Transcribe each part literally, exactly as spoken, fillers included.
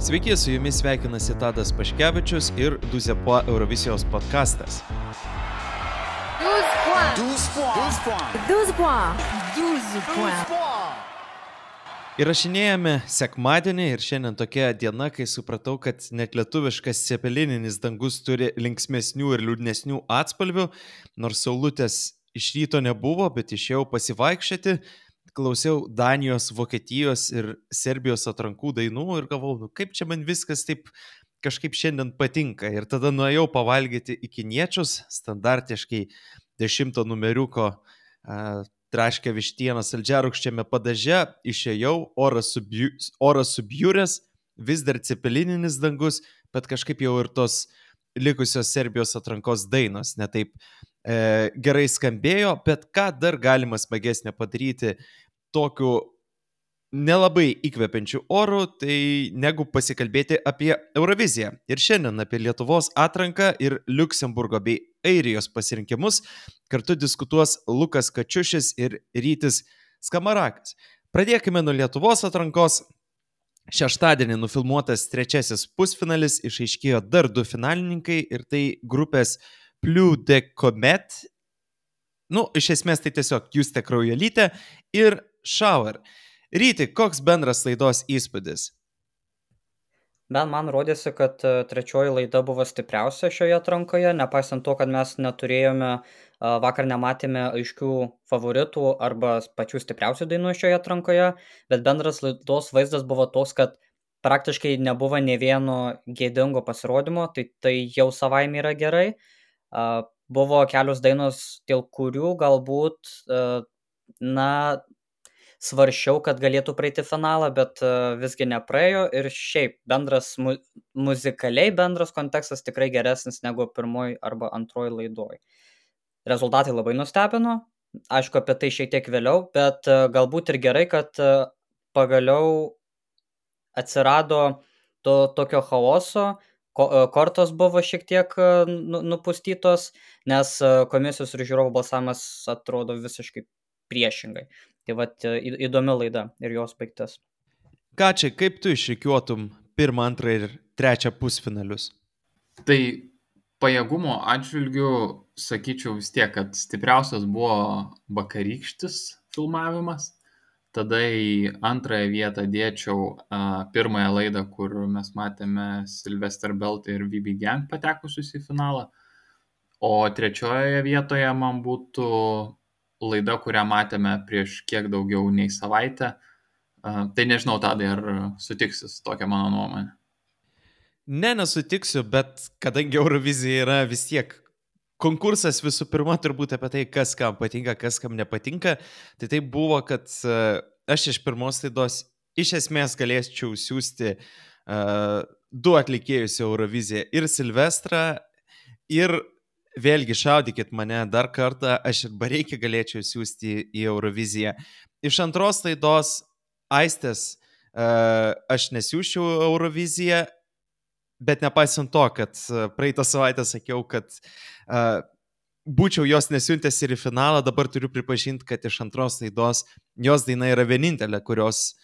Sveiki, su jumis sveikinasi Tadas Paškevičius ir Duzepo Eurovizijos podcastas. Įrašinėjame sekmadienį ir šiandien tokia diena, kai supratau, kad net lietuviškas cepelininis dangus turi linksmesnių ir liūdnesnių atspalvių, nors saulutės iš ryto nebuvo, bet išėjau pasivaikščioti, klausiau Danijos, Vokietijos ir Serbijos atrankų dainų ir galvojau, nu, kaip čia man viskas taip kažkaip šiandien patinka. Ir tada nuėjau pavalgyti į kiniečius, standartiškai dešimto numeriuko uh, traškę vištieną saldžiarūgščiame padaže, išėjau, oras, subju, oras subjūrės, vis dar cepelininis dangus, bet kažkaip jau ir tos likusios Serbijos atrankos dainos netaip e, gerai skambėjo, bet ką dar galima smagesnė padaryti tokiu nelabai įkvepiančiu oru, tai negu pasikalbėti apie Euroviziją. Ir šiandien apie Lietuvos atranką ir Liuksemburgo bei Airijos pasirinkimus kartu diskutuos Lukas Kačiušis ir Rytis Skamarakas. Pradėkime nuo Lietuvos atrankos. Šeštadienį nufilmuotas trečiasis pusfinalis, išaiškėjo dar du finalininkai ir tai grupės Plus de Comet, nu, iš esmės tai tiesiog Justė Kraujelytė ir Shower. Ryti, koks bendras laidos įspūdis? Ben, man rodėsi, kad trečioji laida buvo stipriausia šioje atrankoje, nepaisant to, kad mes neturėjome, vakar nematėme aiškių favoritų arba pačių stipriausių dainų šioje atrankoje, bet bendras laidos vaizdas buvo toks, kad praktiškai nebuvo nė vieno gėdingo pasirodymo, tai tai jau savaime yra gerai. Buvo kelios dainos, dėl kurių galbūt, na, svaršiau, kad galėtų praeiti finalą, bet uh, visgi nepraėjo ir šiaip bendras mu- muzikaliai bendras kontekstas tikrai geresnis negu pirmoji arba antroji laidoj. Rezultatai labai nustebino, aišku, apie tai šiek tiek vėliau, bet uh, galbūt ir gerai, kad uh, pagaliau atsirado to tokio chaoso, ko- uh, kortos buvo šiek tiek uh, nu- nupustytos, nes uh, komisijos ir žiūrovų balsavimas atrodo visiškai priešingai. Tai vat įdomi laida ir jos baigtis. Ką čia, kaip tu išrikiuotum pirmą, antrą ir trečią pusfinalius? Tai pajėgumo atžvilgiu sakyčiau vis tiek, kad stipriausias buvo vakarykštis filmavimas. Tada į antrąją vietą dėčiau uh, pirmąją laidą, kur mes matėme Sylvester Belt ir V B Gang patekusius į finalą. O trečiojoje vietoje man būtų laida, kurią matėme prieš kiek daugiau nei savaitę. Uh, tai nežinau, Tadai, ar sutiksi su tokia mano nuomonė? Ne, nesutiksiu, bet kadangi Eurovizija yra vis tiek konkursas visų pirma turbūt apie tai, kas kam patinka, kas kam nepatinka, tai tai buvo, kad uh, aš iš pirmos laidos iš esmės galėčiau siūsti uh, du atlikėjus į Euroviziją, ir Silvestrą, ir vėlgi šaudykit mane dar kartą, aš ir Bareikį galėčiau siūsti į Euroviziją. Iš antros laidos Aistės uh, aš nesiūščiau Euroviziją, bet nepaisant to, kad praeitą savaitę sakiau, kad uh, būčiau jos nesiuntęs ir į finalą, dabar turiu pripažinti, kad iš antros laidos jos daina yra vienintelė, kurios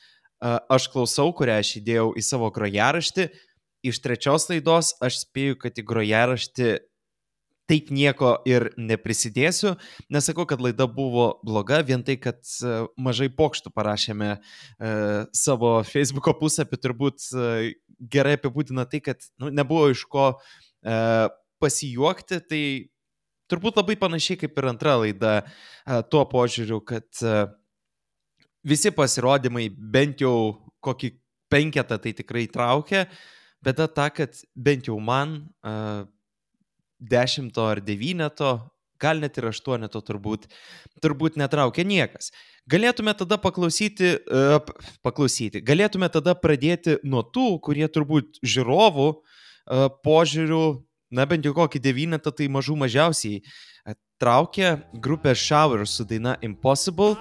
uh, aš klausau, kurią aš įdėjau į savo grojaraštį. Iš trečios laidos aš spėju, kad į grojaraštį taip nieko ir neprisidėsiu. Nesakau, kad laida buvo bloga, vien tai, kad uh, mažai pokštų parašėme uh, savo Facebooko puslapį, turbūt uh, gerai apibūdina tai, kad nu, nebuvo iš ko uh, pasijuokti, tai turbūt labai panašiai kaip ir antra laida uh, tuo požiūriu, kad uh, visi pasirodymai bent jau kokį penketą tai tikrai traukia, bet ta, kad bent jau man uh, dešimto ar devyneto, gal net ir aštuoneto turbūt, turbūt netraukia niekas. Galėtume tada paklausyti, uh, paklausyti, galėtume tada pradėti nuo tų, kurie turbūt žiūrovų uh, požiūrių, na bent jau kokį devynetą, tai mažų mažiausiai uh, traukia grupė Shower su daina Impossible.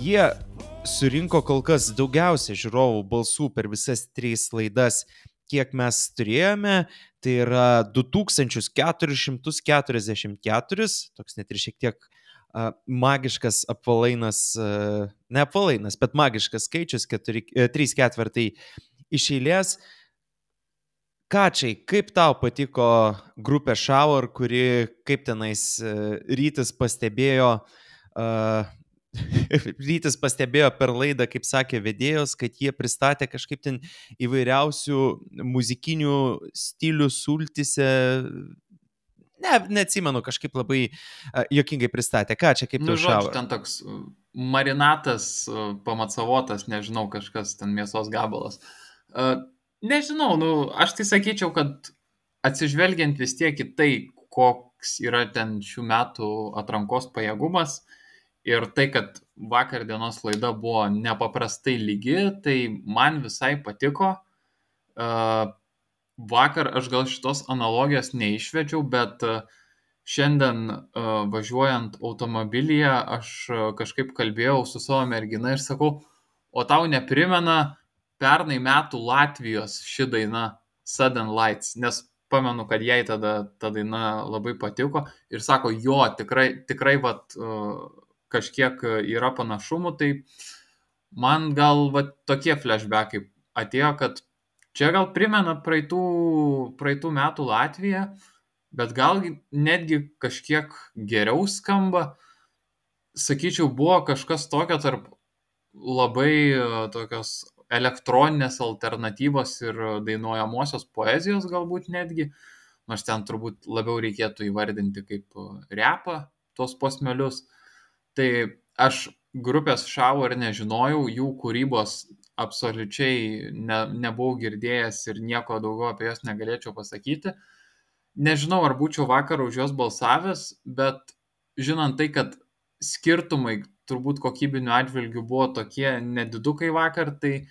Jie surinko kol kas daugiausia žiūrovų balsų per visas tris laidas kiek mes turėjome, tai yra du tūkstančius keturis šimtus keturiasdešimt keturis, toks net ir šiek tiek uh, magiškas apvalainas, uh, ne apvalainas, bet magiškas skaičius, keturi, uh, trys ketvirtai iš eilės. Kačiai, kaip tau patiko grupė Shower, kuri, kaip tenais uh, Rytis pastebėjo, uh, Rytis pastebėjo per laidą, kaip sakė vedėjos, kad jie pristatė kažkaip ten įvairiausių muzikinių stilių sultise. Ne, neatsimenu, kažkaip labai uh, juokingai pristatė. Ką čia, kaip Nu, tau žodžiu, Shower? ten toks uh, marinatas, uh, pamatsavotas, nežinau, kažkas ten mėsos gabalas. Uh, nežinau, nu, aš tai sakyčiau, kad atsižvelgiant vis tiek į tai, koks yra ten šių metų atrankos pajėgumas ir tai, kad vakar dienos laida buvo nepaprastai lygi, tai man visai patiko. Uh, vakar aš gal šitos analogijos neišvedžiau, bet uh, šiandien uh, važiuojant automobilyje aš uh, kažkaip kalbėjau su savo mergina ir sakau, o tau neprimena pernai metų Latvijos ši daina Sudden Lights, nes pamenu, kad jai tada ta daina labai patiko ir sako, jo, tikrai, tikrai vat, uh, kažkiek yra panašumų, tai man gal vat, tokie flashbackai atėjo, kad čia gal primena praeitų, praeitų metų Latviją, bet gal netgi kažkiek geriau skamba. Sakyčiau, buvo kažkas tokio tarp labai tokios elektroninės alternatyvos ir dainuojamosios poezijos galbūt netgi, nors ten turbūt labiau reikėtų įvardinti kaip repą tuos posmelius. Tai aš grupės Shower nežinojau, jų kūrybos absoliučiai ne, nebuvau girdėjęs ir nieko daugiau apie jas negalėčiau pasakyti. Nežinau, ar būčiau vakar už juos balsavęs, bet žinant tai, kad skirtumai turbūt kokybinių atžvilgių buvo tokie nedidukai vakar, tai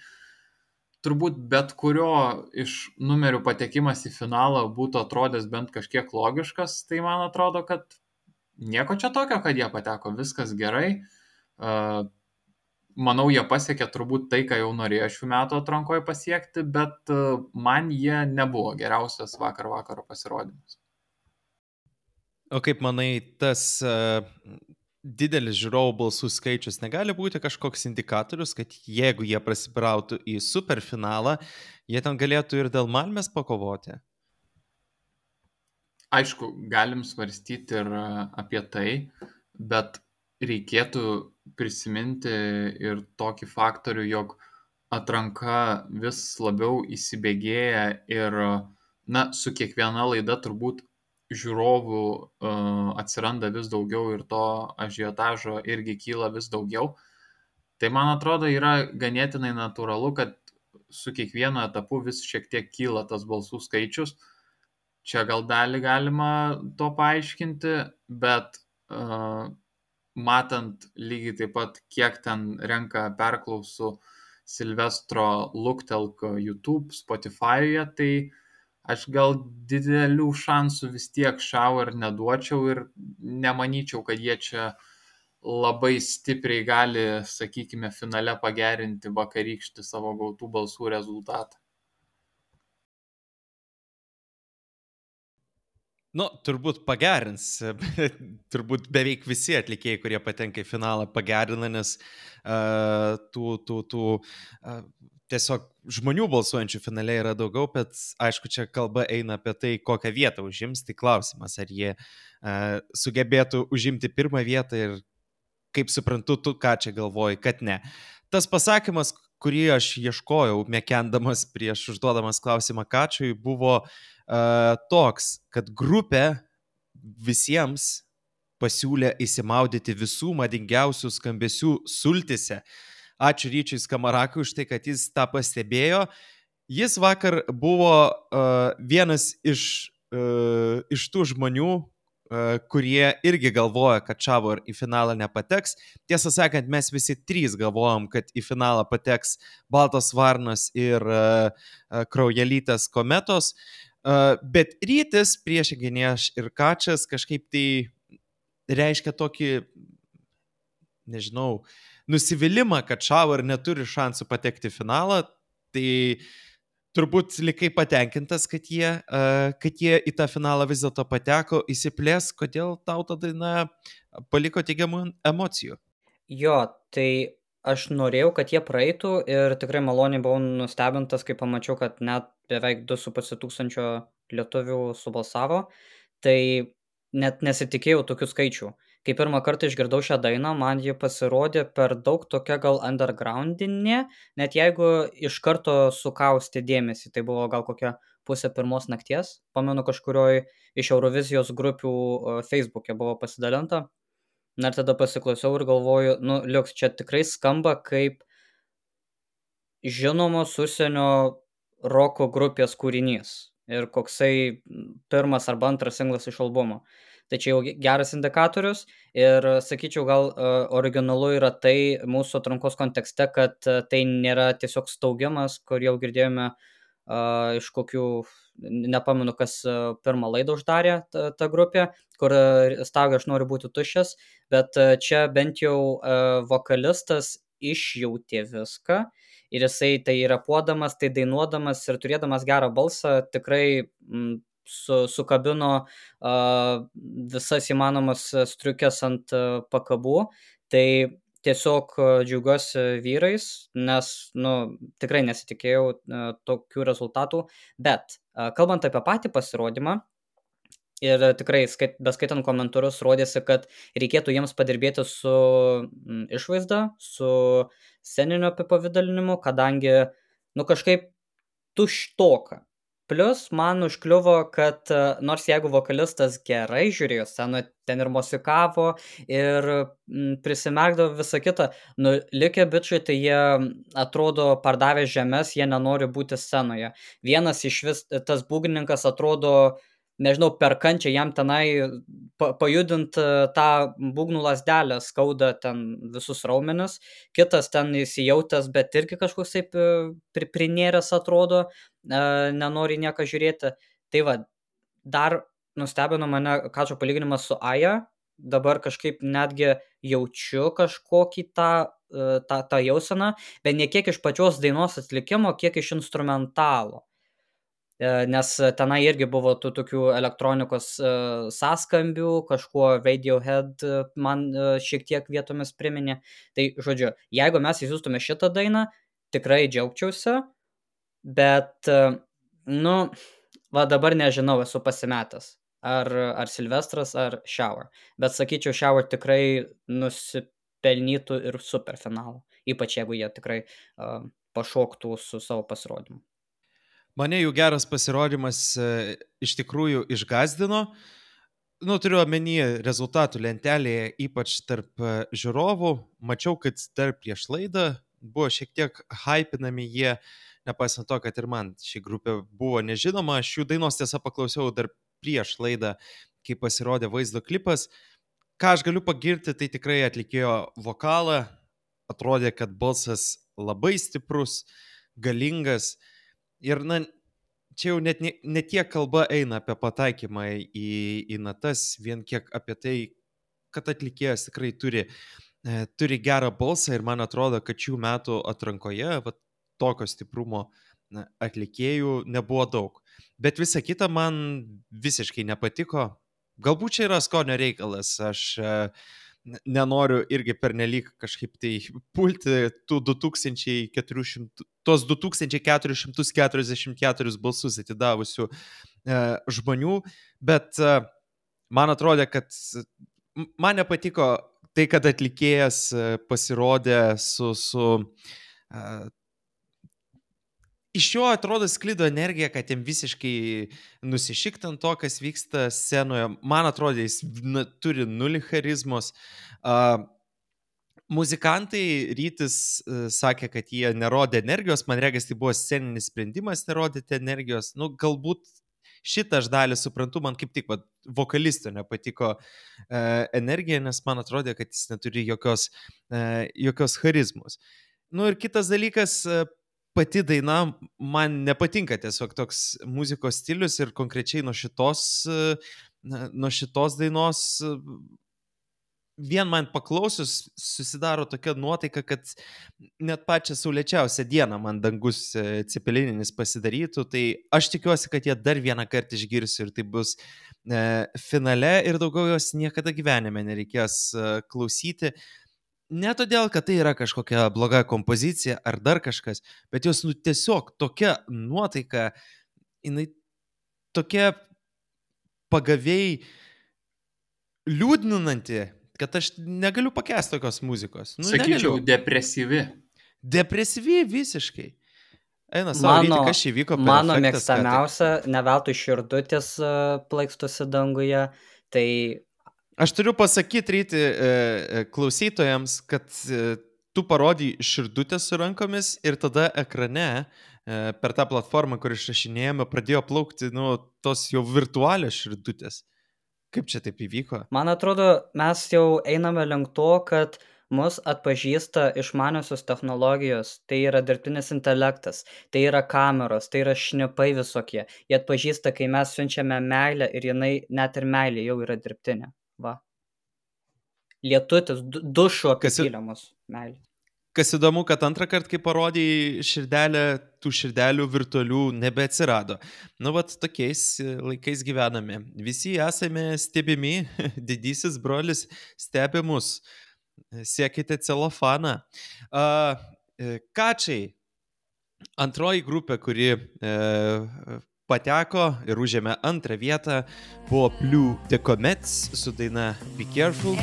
turbūt bet kurio iš numerių patekimas į finalą būtų atrodęs bent kažkiek logiškas, tai man atrodo, kad nieko čia tokio, kad jie pateko, viskas gerai. Uh, manau, jie pasiekė turbūt tai, ką jau norėjo šių metų atrankoje pasiekti, bet uh, man jie nebuvo geriausias vakar vakaro pasirodymas. O kaip manai, tas uh, didelis žiūrovų balsų skaičius negali būti kažkoks indikatorius, kad jeigu jie prasibrautų į superfinalą, jie ten galėtų ir dėl Malmės pakovoti? Aišku, galim svarstyti ir apie tai, bet reikėtų prisiminti ir tokį faktorių, jog atranka vis labiau įsibėgėja ir, na, su kiekviena laida turbūt žiūrovų uh, atsiranda vis daugiau ir to ažiotažo irgi kyla vis daugiau. Tai man atrodo yra ganėtinai natūralu, kad su kiekvienu etapu vis šiek tiek kyla tas balsų skaičius. Čia gal dalį galima to paaiškinti, bet uh, matant lygiai taip pat, kiek ten renka perklausų Silvestro Luktelk YouTube, Spotify'e, tai aš gal didelių šansų vis tiek Shower neduočiau ir nemanyčiau, kad jie čia labai stipriai gali, sakykime, finale pagerinti vakarykštį savo gautų balsų rezultatą. Nu, turbūt pagerins, turbūt beveik visi atlikėjai, kurie patenka į finalą, pagerina, nes uh, tų, tų, tų uh, tiesiog žmonių balsuojančių finale yra daugiau, bet aišku, čia kalba eina apie tai, kokią vietą užims, tai klausimas, ar jie uh, sugebėtų užimti pirmą vietą ir kaip suprantu, tu ką čia galvoji, kad ne. Tas pasakymas, kurį aš ieškojau, mekendamas prieš užduodamas klausimą Kačiui, buvo Uh, toks, kad grupė visiems pasiūlė įsimaudyti visų madingiausių skambesių sultise. Ačiū Ryčiui Skamarakui už tai, kad jis tą pastebėjo. Jis vakar buvo uh, vienas iš, uh, iš tų žmonių, uh, kurie irgi galvoja, kad Shower į finalą nepateks. Tiesą sakant, mes visi trys galvojom, kad į finalą pateks Baltos varnos ir uh, uh, Kraujelytės kometos. Uh, bet Rytis, priešingai nei aš ir Kačias, kažkaip tai reiškia tokį, nežinau, nusivylimą, kad Shower neturi šansų patekti į finalą. Tai turbūt likai patenkintas, kad jie, uh, kad jie į tą finalą vis dėlto pateko, įsiplės, kodėl tau ta daina paliko teigiamų emocijų? Jo, tai aš norėjau, kad jie praeitų ir tikrai maloniai buvau nustebintas, kai pamačiau, kad net beveik du su puse tūkstančio lietuvių subalsavo. Tai net nesitikėjau tokių skaičių. Kai pirmą kartą išgirdau šią dainą, man ji pasirodė per daug tokia gal undergroundinė, net jeigu iš karto sukausti dėmesį. Tai buvo gal kokia pusė pirmos nakties. Pamenu, kažkurioj iš Eurovizijos grupių uh, Facebook'e buvo pasidalinta. Na ir tada pasiklausiau ir galvoju, nu, liuks, čia tikrai skamba kaip žinomos užsienio roko grupės kūrinys ir koksai pirmas arba antras singlas iš albumo. Tai čia jau geras indikatorius ir sakyčiau, gal uh, originalu yra tai mūsų atrankos kontekste, kad uh, tai nėra tiesiog staugimas, kur jau girdėjome uh, iš kokių, nepamenu, kas uh, pirmą laidą uždarė ta, ta grupė, kur uh, staugia aš noriu būti tuščias, bet uh, čia bent jau uh, vokalistas išjautė viską ir jisai tai repuodamas, tai dainuodamas ir turėdamas gerą balsą tikrai mm, su, sukabino uh, visas įmanomas striukės ant uh, pakabų. Tai tiesiog uh, džiaugiuosi vyrais, nes nu, tikrai nesitikėjau uh, tokių rezultatų. Bet uh, kalbant apie patį pasirodymą, ir tikrai, skait, beskaitant komentarus, rodėsi, kad reikėtų jiems padirbėti su mm, išvaizda, su sceninio apipavidalinimu, kadangi, nu, kažkaip tuštoka. Plus, man užkliuvo, kad nors jeigu vokalistas gerai žiūrėjo sceną, ten ir musikavo, ir mm, prisimerkdavo visą kitą, nu, likę bičiai, tai jie atrodo pardavę žemės, jie nenori būti scenoje. Vienas iš vis, tas būgnininkas atrodo, nežinau, per kančią jam tenai pa, pajudint tą būgnų lasdelę, skauda ten visus raumenis, kitas ten įsijautęs, bet irgi kažkoks taip pri, prinėręs atrodo, e, nenori nieką žiūrėti. Tai va, dar nustebino mane Kačo palyginimas su Aja, dabar kažkaip netgi jaučiu kažkokį tą, tą, tą jauseną, bet ne kiek iš pačios dainos atlikimo, kiek iš instrumentalo. Nes tenai irgi buvo tų tokių elektronikos uh, sąskambių, kažkuo Radiohead uh, man uh, šiek tiek vietomis priminė. Tai, žodžiu, jeigu mes įsiūstume šitą dainą, tikrai džiaugčiausi, bet, uh, nu, va dabar nežinau, esu pasimetęs. Ar, ar Silvestras, ar Shower. Bet sakyčiau, Shower tikrai nusipelnytų ir superfinalą. Ypač jeigu jie tikrai uh, pašoktų su savo pasirodymu. Mane jų geras pasirodymas e, iš tikrųjų išgazdino. Nu, turiu omenyje rezultatų lentelėje, ypač tarp e, žiūrovų. Mačiau, kad dar prieš laidą buvo šiek tiek hypinami jie, nepaisant to, kad ir man ši grupė buvo nežinoma. Aš jų dainos tiesa paklausiau dar prieš laidą, kai pasirodė vaizdo klipas. Ką aš galiu pagirti, tai tikrai atlikėjo vokalą. Atrodė, kad balsas labai stiprus, galingas. Ir, na, čia jau net ne, ne tiek kalba eina apie pataikymą į, į natas, vien kiek apie tai, kad atlikėjas tikrai turi, e, turi gerą balsą ir man atrodo, kad šių metų atrankoje va, tokio stiprumo na, atlikėjų nebuvo daug. Bet visa kita man visiškai nepatiko. Galbūt čia yra skonio reikalas, aš e, nenoriu irgi pernelyg kažkaip tai pulti tų du tūkstančiai keturi šimtai, tos du tūkstančiai keturi šimtai keturiasdešimt keturis balsus atidavusių e, žmonių, bet e, man atrodė, kad man nepatiko tai, kad atlikėjas pasirodė su, su e, iš jo atrodo sklido energija, kad jam visiškai nusišikti ant to, kas vyksta scenoje. Man atrodo, jis na, turi nulį charizmos. Uh, muzikantai Rytis uh, sakė, kad jie nerodė energijos. Man regis, tai buvo sceninis sprendimas nerodyti energijos. Nu, galbūt šitą aš dalį suprantu, man kaip tik va, vokalisto nepatiko uh, energija, nes man atrodė, kad jis neturi jokios, uh, jokios charizmos. Nu ir kitas dalykas, uh, pati daina man nepatinka tiesiog toks muzikos stilius ir konkrečiai nuo šitos, nuo šitos dainos vien man paklausius susidaro tokia nuotaika, kad net pačią saulėčiausią dieną man dangus e, cepelininis pasidarytų, tai aš tikiuosi, kad jie dar vieną kartą išgirsiu ir tai bus e, finale ir daugiau jos niekada gyvenime nereikės e, klausyti. Ne todėl, kad tai yra kažkokia bloga kompozicija ar dar kažkas, bet jos nu, tiesiog tokia nuotaika, jinai tokia pagaviai liūdninanti, kad aš negaliu pakęsti tokios muzikos. Nu, Sakyčiau, negaliu. depresyvi. Depresyvi visiškai. Eina savo Mano, ryti, kas čia įvyko per mano efektas, ką tai- mėgstamiausia, ne veltui širdutės e, plaikstosi danguje, tai Aš turiu pasakyti ryti e, e, klausytojams, kad e, tu parodai širdutės su rankomis ir tada ekrane e, per tą platformą, kur išrašinėjame, pradėjo plaukti nu, tos jau virtualios širdutės. Kaip čia taip įvyko? man atrodo, mes jau einame link to, kad mus atpažįsta išmaniosios technologijos, tai yra dirbtinis intelektas, tai yra kameros, tai yra šnipai visokie. Jie atpažįsta, kai mes siunčiame meilę ir jinai net ir meilė jau yra dirbtinė. Va. Lietutis, du- dušu Kas i- apipylė mus meilė. Kas įdomu, kad antrą kartą, kai parodai širdelę, tų širdelių virtualių nebeatsirado. Nu, vat tokiais e, laikais gyvename. Visi esame stebimi, didysis brolis stebi mus. Siekite celofaną. A, e, Kačiai, antroji grupė, kuri e, pateko ir užėmė antrą vietą, buvo Blue The Comets su daina Be Careful.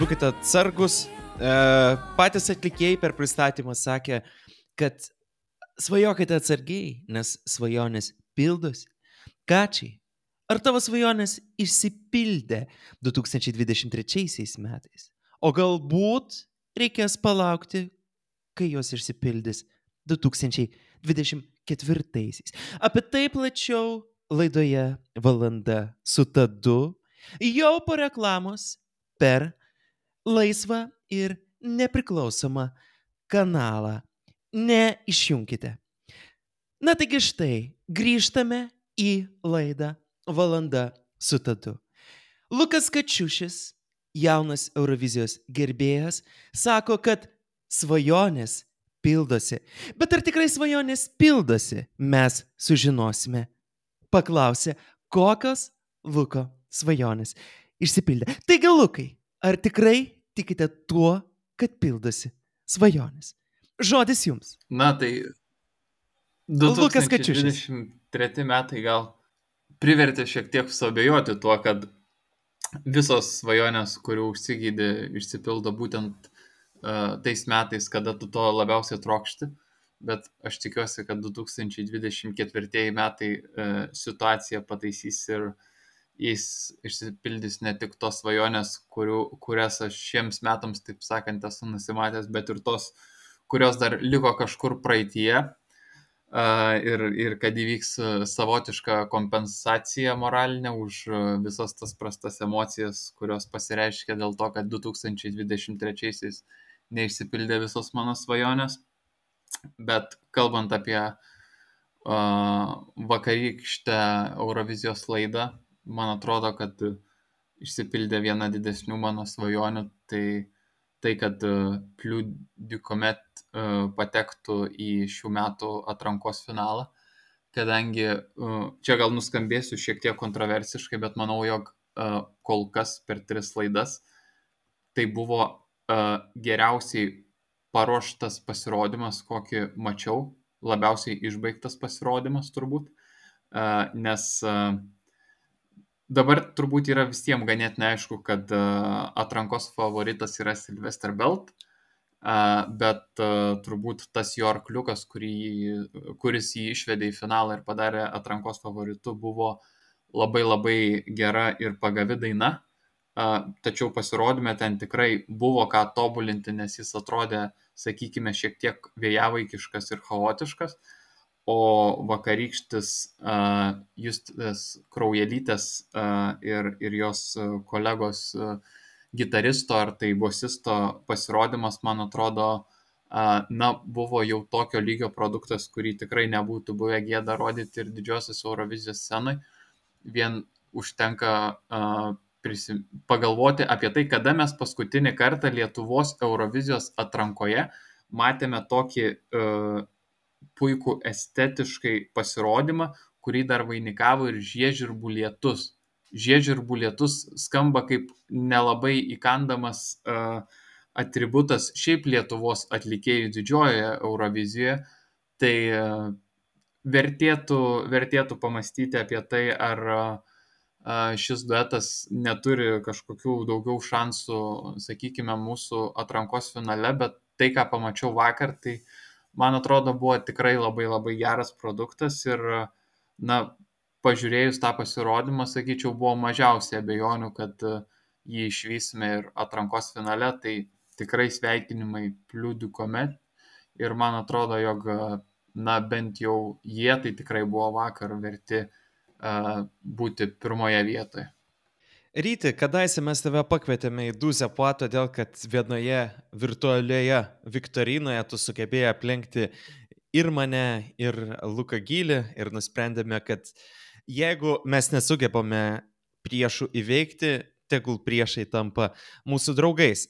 Būkite atsargus. E, patys atlikėjai per pristatymą sakė, kad svajokite atsargiai, nes svajonės pildosi. Kačiai, ar tavo svajonės išsipildė du tūkstančiai dvidešimt trečiaisiais metais? O galbūt reikės palaukti, kai jos išsipildys du tūkstančiai dvidešimt ketvirtaisiais. Apie tai plačiau laidoje Valanda su Tadu jau po reklamos per laisvą ir nepriklausomą kanalą. Neišjunkite. Na taigi štai, grįžtame į laidą Valanda su Tadu. Lukas Kačiušis, jaunas Eurovizijos gerbėjas, sako, kad svajonės pildosi. Bet ar tikrai svajonės pildosi, mes sužinosime. Paklausė, kokios Luko svajonės išsipildė. Taigi, Lukai, ar tikrai tikite tuo, kad pildosi svajonės? Žodis jums. Na tai Lukas du tūkstančiai Kačiušis. dvidešimt treti metai gal privertė šiek tiek suabejoti tuo, kad visos svajonės, kurių užsigydė, išsipildo būtent uh, tais metais, kada tu to labiausiai trokšti. Bet aš tikiuosi, kad du tūkstančiai dvidešimt ketvirtieji metai uh, situaciją pataisys ir jis išsipildys ne tik tos svajonės, kurių, kurias aš šiems metams, taip sakant, esu nusimatęs, bet ir tos, kurios dar liko kažkur praeitie. Uh, ir, ir kad įvyks uh, savotiška kompensacija moralinė už uh, visas tas prastas emocijas, kurios pasireiškia dėl to, kad du tūkstančiai dvidešimt trečiaisiais neišsipildė visos mano svajonės. Bet kalbant apie uh, vakarykštę Eurovizijos laidą, man atrodo, kad uh, išsipildė viena didesnių mano svajonių, tai tai, kad uh, Blue The Comet uh, patektų į šių metų atrankos finalą, kadangi uh, čia gal nuskambėsiu šiek tiek kontroversiškai, bet manau, jog uh, kol kas per tris laidas tai buvo uh, geriausiai paruoštas pasirodymas, kokį mačiau, labiausiai išbaigtas pasirodymas turbūt, uh, nes uh, dabar turbūt yra visiems ganėtinai aišku, kad uh, atrankos favoritas yra Sylvester Belt, uh, bet uh, turbūt tas jo arkliukas, kurį, kuris jį išvedė į finalą ir padarė atrankos favoritu, buvo labai labai gera ir pagavi daina. Uh, tačiau pasirodyme ten tikrai buvo ką tobulinti, nes jis atrodė, sakykime, šiek tiek vėjavaikiškas ir chaotiškas. O vakarykštis uh, Justės Kraujelytės uh, ir, ir jos uh, kolegos uh, gitaristo ar tai bosisto pasirodymas, man atrodo, na, buvo jau tokio lygio produktas, kurį tikrai nebūtų buvę gėda rodyti ir didžiosios Eurovizijos scenai. Vien užtenka uh, prisim... pagalvoti apie tai, kada mes paskutinį kartą Lietuvos Eurovizijos atrankoje matėme tokį uh, puikų estetiškai pasirodymą, kurį dar vainikavo ir žiežirbų lietus. Žiežirbų lietus skamba kaip nelabai įkandamas uh, atributas šiaip Lietuvos atlikėjų didžiojoje Eurovizijoje, tai uh, vertėtų, vertėtų pamastyti apie tai, ar uh, šis duetas neturi kažkokių daugiau šansų, sakykime, mūsų atrankos finale, bet tai, ką pamačiau vakar, tai man atrodo, buvo tikrai labai labai geras produktas ir, na, pažiūrėjus tą pasirodymą, sakyčiau, buvo mažiausiai abejonių, kad jį išvysime ir atrankos finale, tai tikrai sveikinimai Plus du Comet ir man atrodo, jog, na, bent jau jie tai tikrai buvo vakar verti uh, būti pirmoje vietoje. Ryti, kadaise mes tave pakvietėme į Duzę Po, todėl kad vienoje virtualioje viktorinoje tu sugebėjai aplenkti ir mane, ir Luką Gylį ir nusprendėme, kad jeigu mes nesugebame priešų įveikti, tegul priešai tampa mūsų draugais.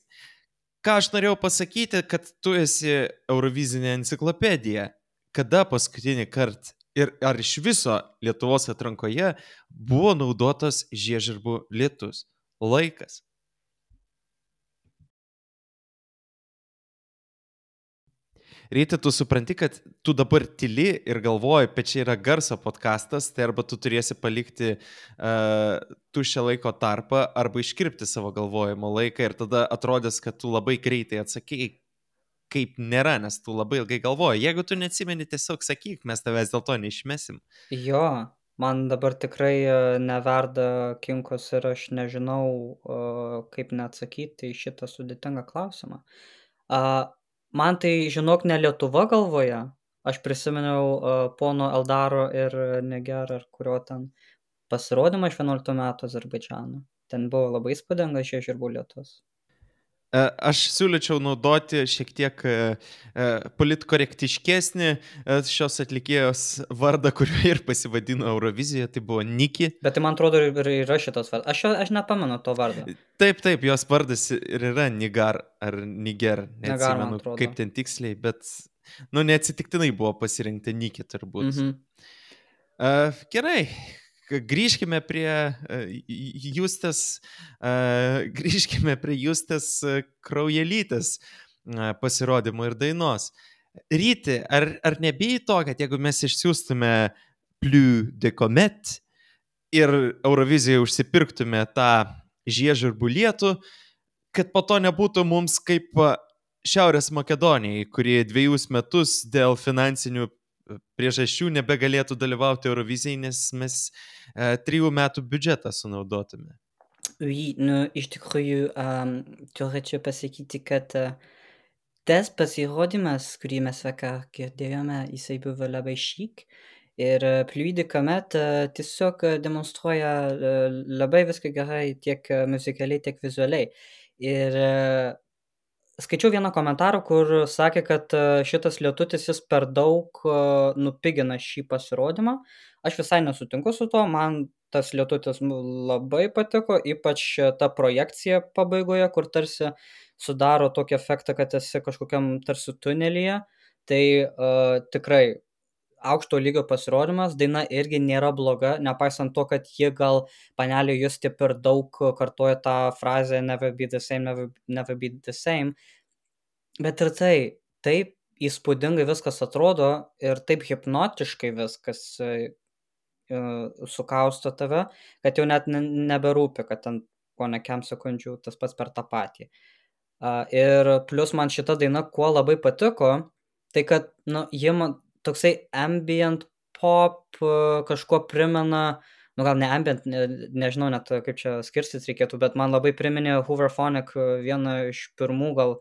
Ką aš norėjau pasakyti, kad tu esi Eurovizinė enciklopedija. Kada paskutinį kartą ir ar iš viso Lietuvos atrankoje buvo naudotas žiežirbų lietus? Laikas. Ryti, tu supranti, kad tu dabar tyli ir galvoji, bet čia yra garso podcastas, tai arba tu turėsi palikti uh, tuščią laiko tarpą, arba iškirpti savo galvojimo laiką ir tada atrodys, kad tu labai greitai atsakėjai, kaip nėra, nes tu labai ilgai galvoji. Jeigu tu neatsimeni, tiesiog sakyk, mes tavęs dėl to neišmesim. Jo, man dabar tikrai neverda kinkos ir aš nežinau, kaip neatsakyti į šitą sudėtingą klausimą. Man tai, žinok, ne Lietuva galvoje. Aš prisiminiau pono Eldaro ir Niger, ar kurio ten pasirodymą iš vienuoliktų metų Azerbaidžano. Ten buvo labai įspūdingas žiežirbų lietus. Aš siūlyčiau naudoti šiek tiek politkorektiškesnį šios atlikėjos vardą, kurio ir pasivadino Eurovizijoje, tai buvo Niki. Bet tai man atrodo ir yra šitas vardas. Aš, aš nepamenu to vardą. Taip, taip, jos vardas ir yra Nigar ar Niger, neatsimenu kaip ten tiksliai, bet, nu, neatsitiktinai buvo pasirinkta Niki turbūt. Mhm. Uh, gerai. Grįžkime prie uh, Justės, uh, grįžkime prie Justės uh, Kraujelytės uh, pasirodymo ir dainos. Ryti, ar, ar nebijai to, kad jeigu mes išsiųstume Plus du Comet ir Eurovizijoje užsipirktume tą žiežirbų lietų, kad po to nebūtų mums kaip Šiaurės Makedonijai, kurie dviejus metus dėl finansinių priežasčių nebegalėtų dalyvauti Eurovizijai, nes mes e, trijų metų biudžetą sunaudotume. Oui, nu, iš tikrųjų, um, turėčiau pasakyti, kad uh, tas pasirodymas, kurį mes vakar girdėjome, jisai buvo labai šik. Ir uh, Plus du Comet uh, tiesiog demonstruoja uh, labai viską gerai tiek uh, muzikaliai, tiek vizualiai. Ir uh, skaičiau vieną komentarą, kur sakė, kad šitas lietutis jis per daug nupigina šį pasirodymą. Aš visai nesutinku su to, man tas lietutis labai patiko, ypač ta projekcija pabaigoje, kur tarsi sudaro tokį efektą, kad esi kažkokiam tarsi tunelyje. Tai uh, tikrai aukšto lygio pasirodymas, daina irgi nėra bloga, nepaisant to, kad jie gal panelė Justė per daug kartoja tą frazę never be the same, never, never be the same. Bet ir tai, taip įspūdingai viskas atrodo ir taip hipnotiškai viskas uh, sukausto tave, kad jau net ne, neberūpi, kad ten po nekiam sekundžių tas pats per tą patį. Uh, ir plus man šita daina kuo labai patiko, tai kad, nu, jie man toksai ambient pop uh, kažkuo primena, nu gal ne ambient, ne, nežinau net kaip čia skirstyt reikėtų, bet man labai priminė Hooverphonic vieną iš pirmų gal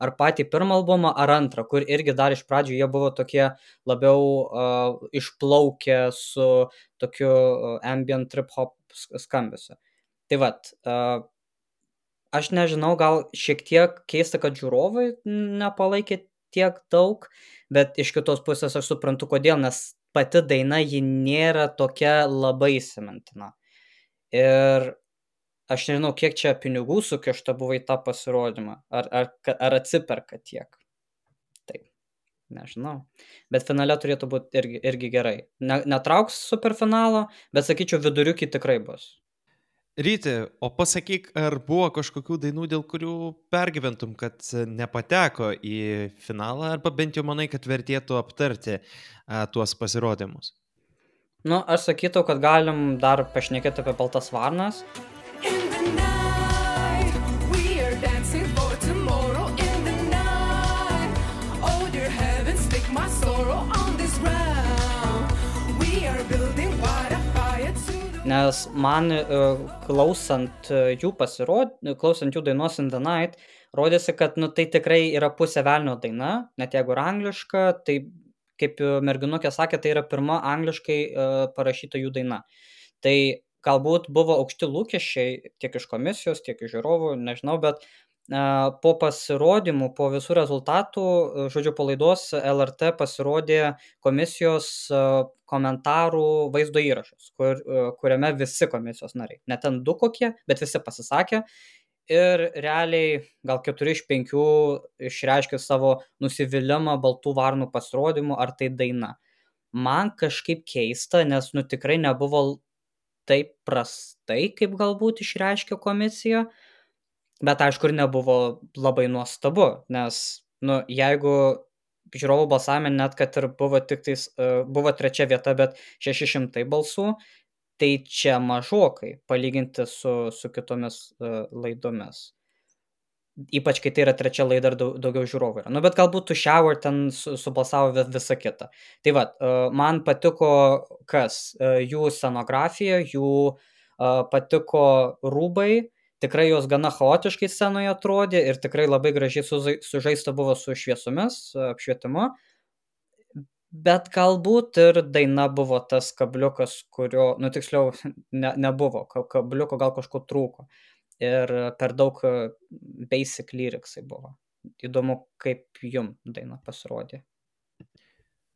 ar patį pirmą albumą, ar antrą, kur irgi dar iš pradžių jie buvo tokie labiau uh, išplaukę su tokiu uh, ambient trip hop skambesiu. Tai vat, uh, aš nežinau, gal šiek tiek keista, kad žiūrovai nepalaikė tiek daug, bet iš kitos pusės aš suprantu, kodėl, nes pati daina ji nėra tokia labai įsimintina. Ir aš nežinau, kiek čia pinigų sukišta buvo į tą pasirodymą, ar, ar, ar atsiperka tiek. Taip, nežinau. Bet finale turėtų būti irgi, irgi gerai. Ne, netrauks superfinalo, bet sakyčiau, viduriukai tikrai bus. Ryti, o pasakyk, ar buvo kažkokių dainų, dėl kurių pergyventum, kad nepateko į finalą, arba bent jau manai, kad vertėtų aptarti a, tuos pasirodymus? Nu, aš sakytų, kad galim dar pašnekėti apie Baltas varnas. Nes man klausant jų pasirod... klausant jų dainos In the Night, rodėsi, kad nu, tai tikrai yra pusė velnio daina, net jeigu yra angliška, tai kaip merginukė sakė, tai yra pirma angliškai uh, parašyta jų daina. Tai galbūt buvo aukšti lūkesčiai tiek iš komisijos, tiek iš žiūrovų, nežinau, bet uh, po pasirodymų, po visų rezultatų, uh, žodžiu, po laidos L R T pasirodė komisijos uh, komentarų vaizdo įrašus, kur, uh, kuriame visi komisijos nariai, ne ten du kokie, bet visi pasisakė. Ir realiai gal keturi iš penkių išreiškė savo nusivylimą Baltų varnų pasirodymu ar tai daina. Man kažkaip keista, nes nu tikrai nebuvo taip prastai, kaip galbūt išreiškė komisija, bet aišku ir nebuvo labai nuostabu, nes nu, jeigu žiūrovų balsavime net kad ir buvo tik tais, uh, buvo trečia vieta, bet šeši šimtai balsų, tai čia mažokai palyginti su, su kitomis uh, laidomis. Ypač, kai tai yra trečia laida ir daug, daugiau žiūrovų yra. Nu, bet galbūt tu Shower ten su, subalsavo visą kitą. Tai va, uh, man patiko kas? Uh, jų scenografija, jų uh, patiko rūbai, tikrai jos gana chaotiškai scenoje atrodė ir tikrai labai gražiai sužaista buvo su šviesomis, apšvietimu. Bet galbūt ir daina buvo tas kabliukas, kurio, nu tiksliau, ne, nebuvo, kabliuko gal kažko trūko. Ir per daug basic lyricsai buvo. Įdomu, kaip jum daina pasirodė.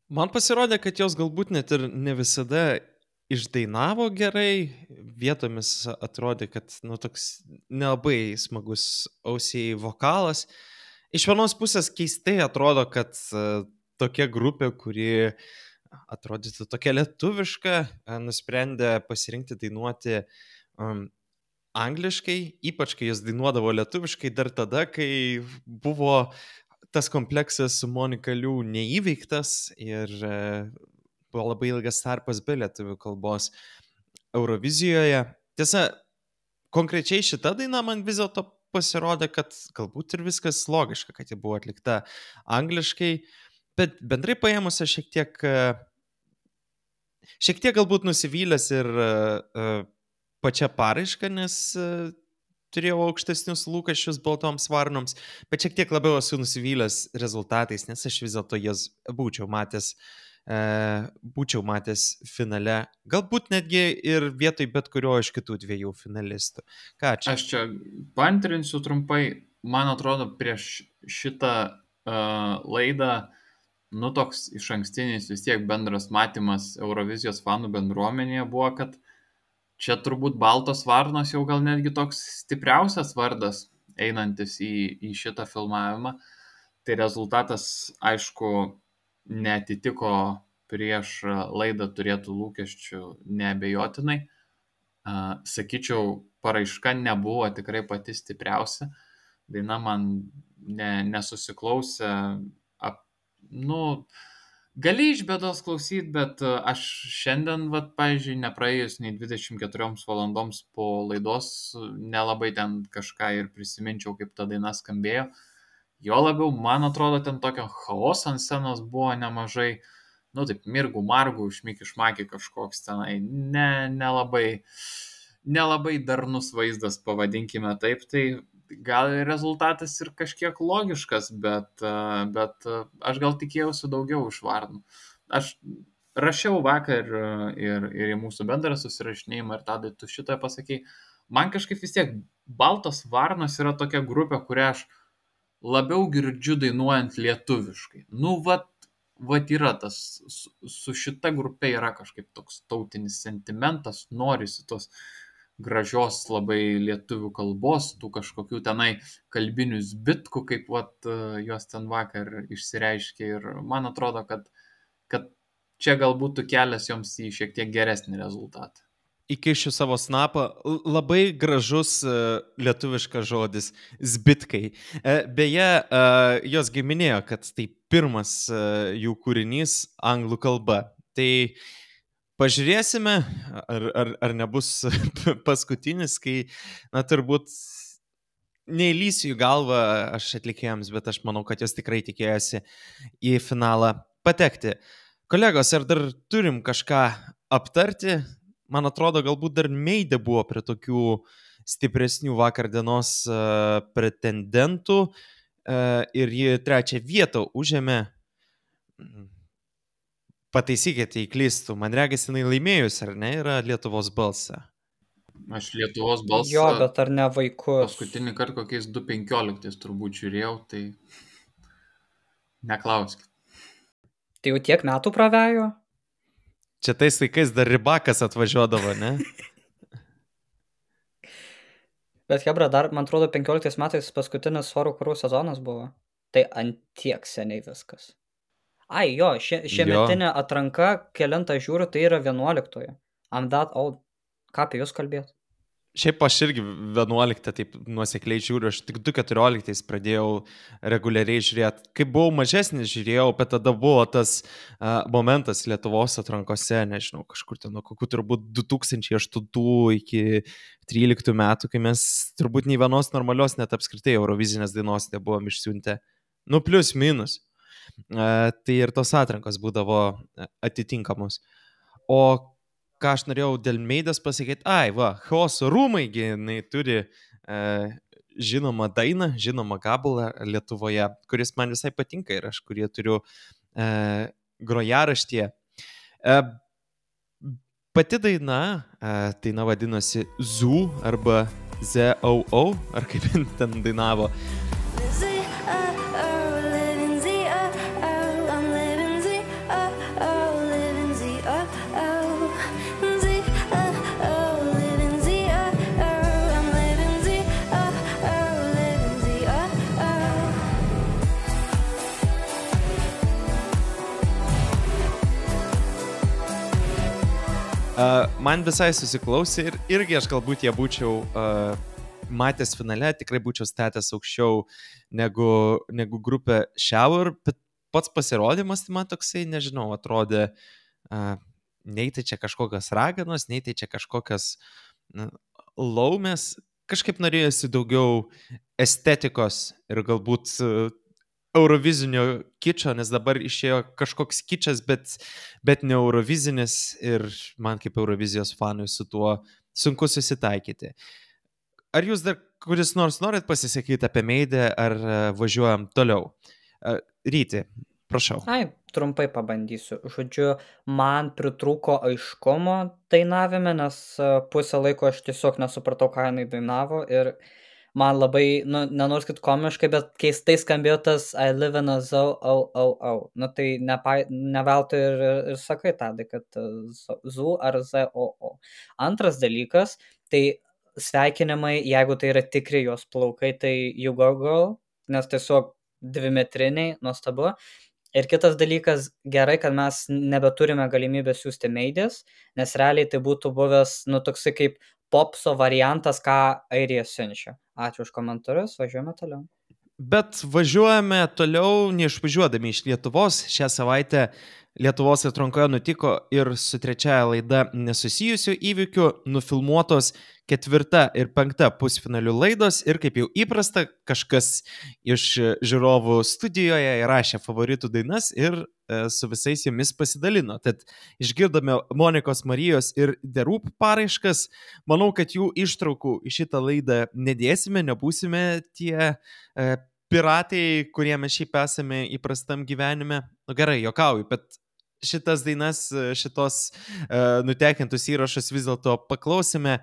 Man pasirodė, kad jos galbūt net ir ne visada išdainavo gerai, vietomis atrodė, kad nu, toks nelabai smagus ausiai vokalas. Iš vienos pusės keistai atrodo, kad tokia grupė, kuri atrodytų tokia lietuviška, nusprendė pasirinkti dainuoti um, angliškai, ypač kai jos dainuodavo lietuviškai dar tada, kai buvo tas kompleksas su Monika Liu neįveiktas ir uh, buvo labai ilgas tarpas be lietuvių kalbos Eurovizijoje. Tiesa, konkrečiai šita daina man vis dėlto pasirodė, kad galbūt ir viskas logiška, kad ji buvo atlikta angliškai. Bet bendrai paėmus aš šiek tiek, šiek tiek galbūt nusivylęs ir uh, pačia paraiška, nes uh, turėjau aukštesnius lūkesčius Baltoms varnoms, bet šiek tiek labiau esu nusivylęs rezultatais, nes aš vis dėlto jas būčiau matęs, uh, būčiau matęs finale, galbūt netgi ir vietoj bet kurio iš kitų dviejų finalistų. Ką čia? Aš čia paantrinsiu trumpai, man atrodo, prieš šitą uh, laidą nu toks iš ankstinis vis tiek bendras matymas Eurovizijos fanų bendruomenėje buvo, kad čia turbūt Baltos varnos jau gal netgi toks stipriausias vardas einantis į, į šitą filmavimą. Tai rezultatas, aišku, neatitiko prieš laidą turėtų lūkesčių neabejotinai. Sakyčiau, paraiška nebuvo tikrai pati stipriausia. Daina man ne, nesusiklausė. Nu, gali iš bėdos klausyti, bet aš šiandien, vat, pavyzdžiui, nepraėjus nei dvidešimt keturios valandoms po laidos, nelabai ten kažką ir prisiminčiau, kaip ta daina skambėjo. Jo labiau, man atrodo, ten tokio chaoso ant scenos buvo nemažai, nu taip, mirgų, margų, šmiki-šmaki kažkoks tenai, ne, nelabai, nelabai darnus vaizdas, pavadinkime taip, tai gal rezultatas ir kažkiek logiškas, bet, bet aš gal tikėjausi daugiau iš varnų. Aš rašiau vakar ir, ir į mūsų bendrą susirašinėjimą ir tada tu šitą pasakei. Man kažkaip vis tiek Baltas varnas yra tokia grupė, kurią aš labiau girdžiu dainuojant lietuviškai. Nu, vat, vat yra tas, su, su šita grupė yra kažkaip toks tautinis sentimentas, norisi tos gražios labai lietuvių kalbos, tų kažkokių tenai kalbinių zbitkų, kaip vat, jos ten vakar išsireiškė. Ir man atrodo, kad, kad čia galbūt kelias joms į šiek tiek geresnį rezultatą. Įkišiu savo snapą, labai gražus uh, lietuviškas žodis – zbitkai. Uh, beje, uh, jos giminėjo, kad tai pirmas uh, jų kūrinys anglų kalba. Tai pažiūrėsime, ar, ar, ar nebus paskutinis, kai, na, turbūt neįlysiu į galvą aš atlikėjams, bet aš manau, kad jos tikrai tikėjosi į finalą patekti. Kolegos, ar dar turim kažką aptarti? Man atrodo, galbūt dar Meidė buvo prie tokių stipresnių vakar dienos uh, pretendentų uh, ir ji trečią vietą užėmė. Pataisykite, jei klystų. Man regis, jinai laimėjus, ar ne, yra Lietuvos balsą. Aš Lietuvos balsą... Jo, bet ar ne vaikus? Paskutinį kartą kokiais du penkioliktais turbūt žiūrėjau, tai neklauskit. Tai jau tiek metų pravejo? Čia tais laikais dar Rybakas atvažiuodavo, ne? Bet hebra, dar, man atrodo, penkioliktais metais paskutinis Svarų karų sezonas buvo. Tai antiek seniai viskas. Ai, jo, šie, šiemetinė atranka, kelintą žiūriu, tai yra vienuoliktoje. I'm that old. Ką apie jūs kalbėt? Šiaip aš irgi vienuoliktą taip nuosekliai žiūriu, aš tik du keturioliktais pradėjau reguliariai žiūrėti. Kai buvau mažesnis žiūrėjau, bet tada buvo tas uh, momentas Lietuvos atrankose, nežinau, kažkur ten nuo kokių turbūt du tūkstančiai aštuntų iki tryliktų metų, kai mes turbūt nei vienos normalios net apskritai Eurovizinės dainos nebuvom išsiuntę. Nu, plius minus. Uh, tai ir tos atrankos būdavo atitinkamos. O ką aš norėjau dėl Meidės pasakyti, ai, va, Chaoso rūmai, jinai turi e, žinomą dainą, žinomą gabalą Lietuvoje, kuris man visai patinka ir aš kurį turiu e, grojaraštyje. E, pati daina, e, daina vadinosi Zoo arba Z O O, ar kaip ten dainavo. Uh, man visai susiklausė ir irgi aš galbūt ją būčiau uh, matęs finale, tikrai būčiau statęs aukščiau negu, negu grupė Shower, bet pats pasirodymas, tai man toksai, nežinau, atrodė, uh, nei tai čia kažkokios raganos, nei tai čia kažkokios uh, laumės, kažkaip norėjosi daugiau estetikos ir galbūt uh, eurovizinio kičo, nes dabar išėjo kažkoks kičas, bet, bet ne eurovizinis ir man kaip Eurovizijos fanui su tuo sunku susitaikyti. Ar jūs dar kuris nors norit pasisakyti apie Meidę, ar važiuojam toliau? Ryti, prašau. Ai, trumpai pabandysiu. Žodžiu, man pritrūko aiškumo dainavime, nes pusę laiko aš tiesiog nesupratau, ką jinai dainavo ir man labai, nu, nenoriu sakyti komiškai, bet keistai skambėjo tas I live in a zoo, oh, oh, oh. Nu, tai nepa, neveltui ir, ir sakai tadai, kad zoo ar Z O O. Antras dalykas, tai sveikinimai, jeigu tai yra tikri jos plaukai, tai you go girl, nes tiesiog dvimetriniai, nuostabu. Ir kitas dalykas, gerai, kad mes nebeturime galimybę siųsti Meidės, nes realiai tai būtų buvęs, nu, toksai kaip popso variantas, ką Airija siunčia. Ačiū už komentarus, važiuojame toliau. Bet važiuojame toliau, neišvažiuodami iš Lietuvos. Šią savaitę Lietuvos atrankoje nutiko ir su trečiaja laida nesusijusių įvykių nufilmuotos ketvirta ir penkta pusfinalių laidos ir kaip jau įprasta, kažkas iš žiūrovų studijoje įrašė favoritų dainas ir e, su visais jomis pasidalino. Tad išgirdome Monikos Marijos ir The Roop paraiškas. Manau, kad jų ištraukų į šitą laidą nedėsime, nebūsime tie e, piratai, kurie mes šiaip esame įprastam gyvenime. Nu gerai, jokauju, bet šitas dainas, šitos e, nutekintus įrašus vis dėlto paklausime.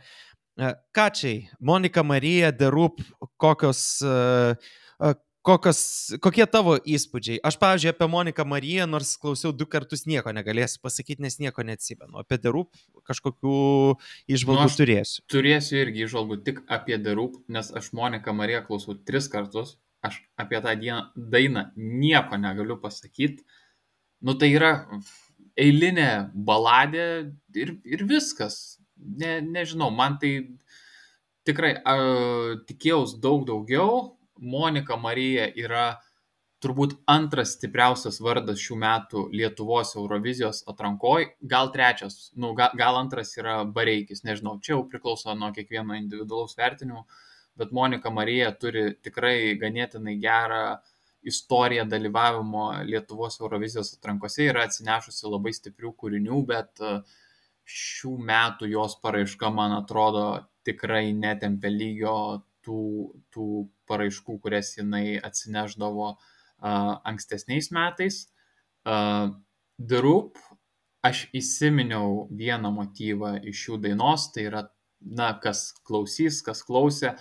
Kačiai, Monika Marija, The Roop, kokios, kokios, kokie tavo įspūdžiai? Aš, pavyzdžiui, apie Moniką Mariją, nors klausiau du kartus, nieko negalėsiu pasakyti, nes nieko neatsimenu. Apie The Roop kažkokių įžvalgų Nu, aš turėsiu. turėsiu irgi įžvalgų tik apie The Roop, nes aš Moniką Mariją klausau tris kartus. Aš apie tą dieną, dainą nieko negaliu pasakyti. Nu, tai yra eilinė baladė ir, ir viskas. Ne, nežinau, man tai tikrai uh, tikėjaus daug daugiau. Monika Marija yra turbūt antras stipriausias vardas šių metų Lietuvos Eurovizijos atrankoj, gal trečias, nu, gal, gal antras yra Bareikis, nežinau, čia jau priklauso nuo kiekvieno individualaus vertinimo, bet Monika Marija turi tikrai ganėtinai gerą istoriją dalyvavimo Lietuvos Eurovizijos atrankose, yra atsinešusi labai stiprių kūrinių, bet šių metų jos paraiška, man atrodo, tikrai netempia lygio tų, tų paraiškų, kurias jinai atsineždavo Uh, ankstesniais metais. Uh, The Roop, aš įsiminiau vieną motyvą iš šių dainos, tai yra, na, kas klausys, kas klausė,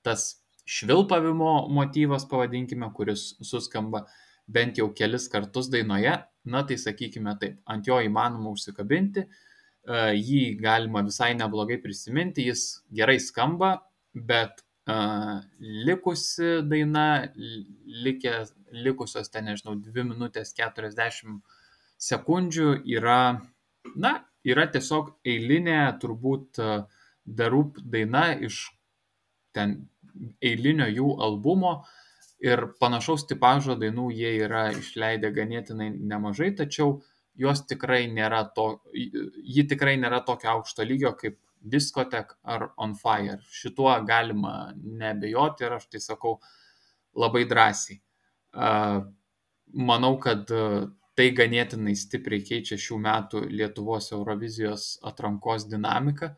tas švilpavimo motyvas, pavadinkime, kuris suskamba bent jau kelis kartus dainoje, na, tai sakykime taip, ant jo įmanoma užsikabinti, uh, jį galima visai neblogai prisiminti, jis gerai skamba, bet Uh, likusi daina, likė, likusios ten, nežinau, dvi minutės keturiasdešimt sekundžių yra, na, yra tiesiog eilinė turbūt uh, The Roop daina iš ten eilinio jų albumo ir panašaus tipažo dainų jie yra išleidę ganėtinai nemažai, tačiau jos tikrai nėra to, ji tikrai nėra tokio aukšto lygio kaip Discotheque ar On Fire. Šituo galima neabejoti ir aš tai sakau labai drąsiai. Manau, kad tai ganėtinai stipriai keičia šių metų Lietuvos Eurovizijos atrankos dinamiką,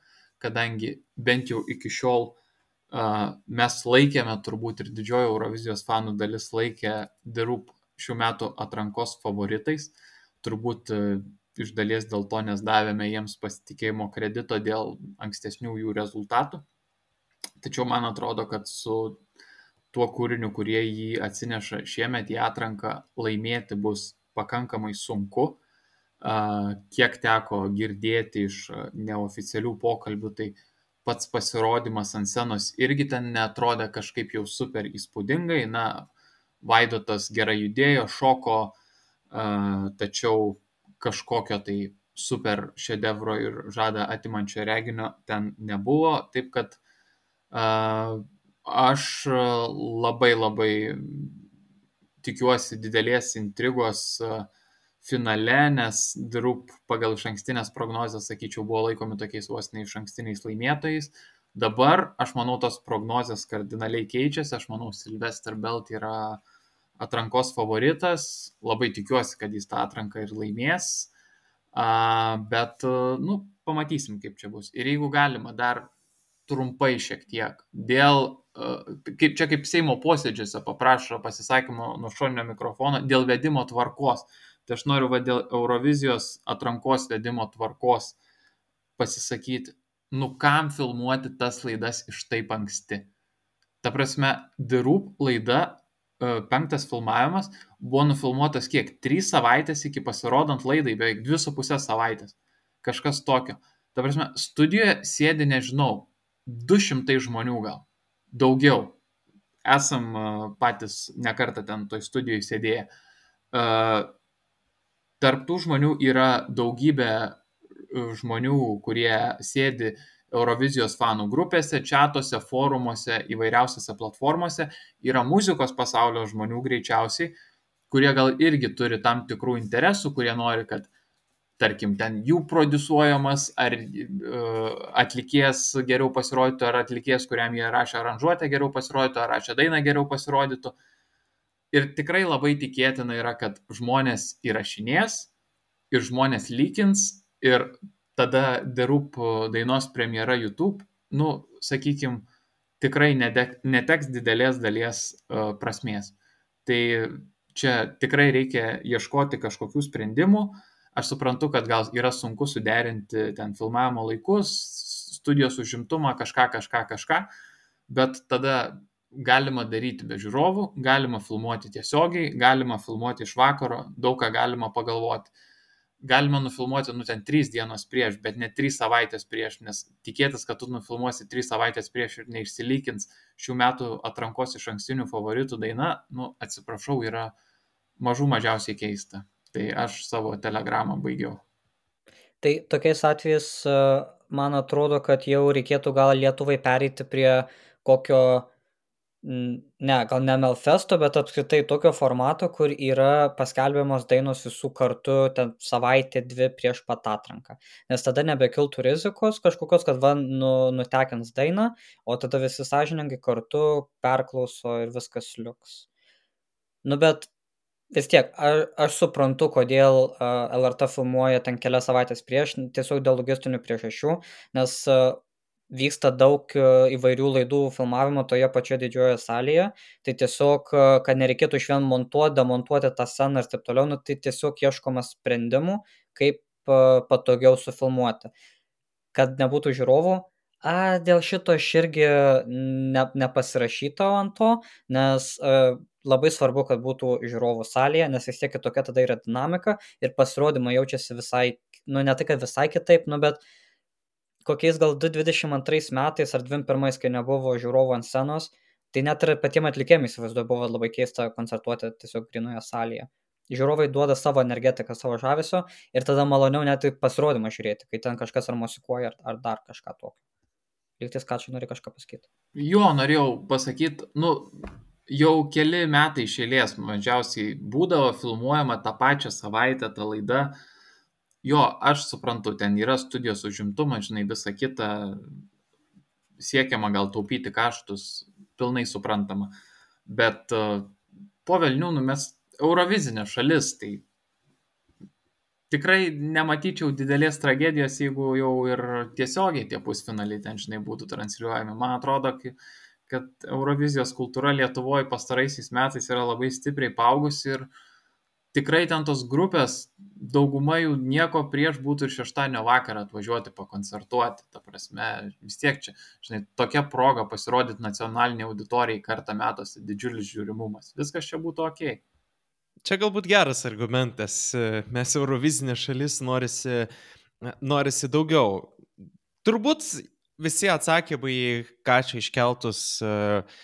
kadangi bent jau iki šiol mes laikėme, turbūt ir didžioji Eurovizijos fanų dalis laikė The Roop šių metų atrankos favoritais, turbūt iš dalies dėl to, nes davėme jiems pasitikėjimo kredito dėl ankstesnių jų rezultatų. Tačiau man atrodo, kad su tuo kūriniu, kurie jį atsineša šiemet į atranką, laimėti bus pakankamai sunku. Kiek teko girdėti iš neoficialių pokalbių, tai pats pasirodymas ant scenos irgi ten neatrodė kažkaip jau super įspūdingai. Na, Vaidotas gerai judėjo, šoko, tačiau kažkokio tai super šedevro ir žadą atimančio reginio ten nebuvo, taip kad uh, aš labai labai tikiuosi didelės intrigos uh, finale, nes The Roop pagal išankstinės prognozes, sakyčiau, buvo laikomi tokiais vos ne išankstiniais laimėtojais. Dabar, aš manau, tos prognozės kardinaliai keičiasi, aš manau, Sylvester Belt yra atrankos favoritas, labai tikiuosi, kad jis tą atranką ir laimės, uh, bet, uh, nu, pamatysim, kaip čia bus. Ir jeigu galima, dar trumpai šiek tiek, dėl, uh, kaip, čia kaip Seimo posėdžiuose paprašo pasisakymo nuo šoninio mikrofono, dėl vedimo tvarkos. Tai aš noriu va dėl Eurovizijos atrankos vedimo tvarkos pasisakyti, nu kam filmuoti tas laidas iš taip anksti. Ta prasme, The Roop laida, penktas filmavimas, buvo nufilmuotas kiek? Trys savaitės iki pasirodant laidai, beveik dvi su pusės savaitės. Kažkas tokio. Ta prasme, studijoje sėdi, nežinau, du šimtai žmonių gal. Daugiau. Esam patys nekartą ten toj studijoje sėdėję. Tarp tų žmonių yra daugybė žmonių, kurie sėdi Eurovizijos fanų grupėse, čatuose, forumuose, įvairiausiose platformose, yra muzikos pasaulio žmonių greičiausiai, kurie gal irgi turi tam tikrų interesų, kurie nori, kad, tarkim, ten jų prodiusuojamas, ar uh, atlikėjas geriau pasirodytų, ar atlikėjas, kuriam jie rašė aranžuotę geriau pasirodytų, ar rašė dainą geriau pasirodytų. Ir tikrai labai tikėtina yra, kad žmonės įrašinės ir žmonės lykins ir tada The Roop dainos premjera YouTube, nu, sakykim, tikrai neteks didelės dalies uh, prasmės. Tai čia tikrai reikia ieškoti kažkokių sprendimų. Aš suprantu, kad gal yra sunku suderinti ten filmavimo laikus, studijos užimtumą, kažką, kažką, kažką, bet tada galima daryti be žiūrovų, galima filmuoti tiesiogiai, galima filmuoti iš vakaro, daug ką galima pagalvoti. Galima nufilmuoti, nu, ten trys dienos prieš, bet ne trys savaitės prieš, nes tikėtis, kad tu nufilmuosi trys savaitės prieš ir neišsilykins šių metų atrankos iš ankstinių favoritų daina, nu, atsiprašau, yra mažų mažiausiai keista. Tai aš savo telegramą baigiau. Tai tokiais atvejais, man atrodo, kad jau reikėtų gal Lietuvai pereiti prie kokio, ne, gal ne Melfesto, bet apskritai tokio formato, kur yra paskelbiamos dainos visų kartu ten savaitę, dvi prieš pat atranką. Nes tada nebekiltų rizikos kažkokios, kad va, nu, nutekins dainą, o tada visi sąžiningai kartu perklauso ir viskas liuks. Nu, bet vis tiek, aš, aš suprantu, kodėl uh, L R T filmuoja ten kelias savaitės prieš, tiesiog dėl logistinių priežasčių, nes uh, vyksta daug įvairių laidų filmavimo toje pačioje didžiojoje salėje, tai tiesiog, kad nereikėtų iš vien montuoti, demontuoti tą sceną ir taip toliau, nu, tai tiesiog ieškoma sprendimų, kaip patogiau sufilmuoti. Kad nebūtų žiūrovų, a, dėl šito aš irgi ne, nepasirašytau ant to, nes a, labai svarbu, kad būtų žiūrovų salėje, nes vis tiek tokia tada yra dinamika ir pasirodymai jaučiasi visai, nu ne tai, kad visai kitaip, nu bet kokiais gal du tūkstančiai dvidešimt antrais metais ar dvidešimt pirmais, kai nebuvo žiūrovų ant scenos, tai net ir patiem atlikėjim įsivaizduoju buvo labai keista koncertuoti tiesiog grinoje salėje. Žiūrovai duoda savo energetiką, savo žavesio ir tada maloniau net pasirodymą žiūrėti, kai ten kažkas ar musikuoja, ar, ar dar kažką tokio. Lygtis, ką čia nori kažką pasakyti? Jo, norėjau pasakyti, nu, jau keli metai iš eilės mažiausiai būdavo filmuojama tą pačią savaitę, tą laidą. Jo, aš suprantu, ten yra studijos užimtumas, žinai, visa kita, siekiama gal taupyti kaštus, pilnai suprantama. Bet uh, po velnių, nu, mes Eurovizinė šalis, tai tikrai nematyčiau didelės tragedijos, jeigu jau ir tiesiogiai tie pusfinaliai ten, žinai, būtų transliuojami. Man atrodo, kad Eurovizijos kultūra Lietuvoje pastaraisiais metais yra labai stipriai paaugusi ir tikrai ten tos grupės, dauguma jų nieko prieš būtų ir šeštadienio vakarą atvažiuoti pakoncertuoti. Ta prasme, vis tiek čia, žinai, tokia proga pasirodyti nacionaliniai auditorijai kartą metuose, didžiulis žiūrimumas. Viskas čia būtų okei. Okay. Čia galbūt geras argumentas. Mes Eurovizinė šalis, norisi, norisi daugiau. Turbūt visi atsakymai, ką čia iškeltus, uh,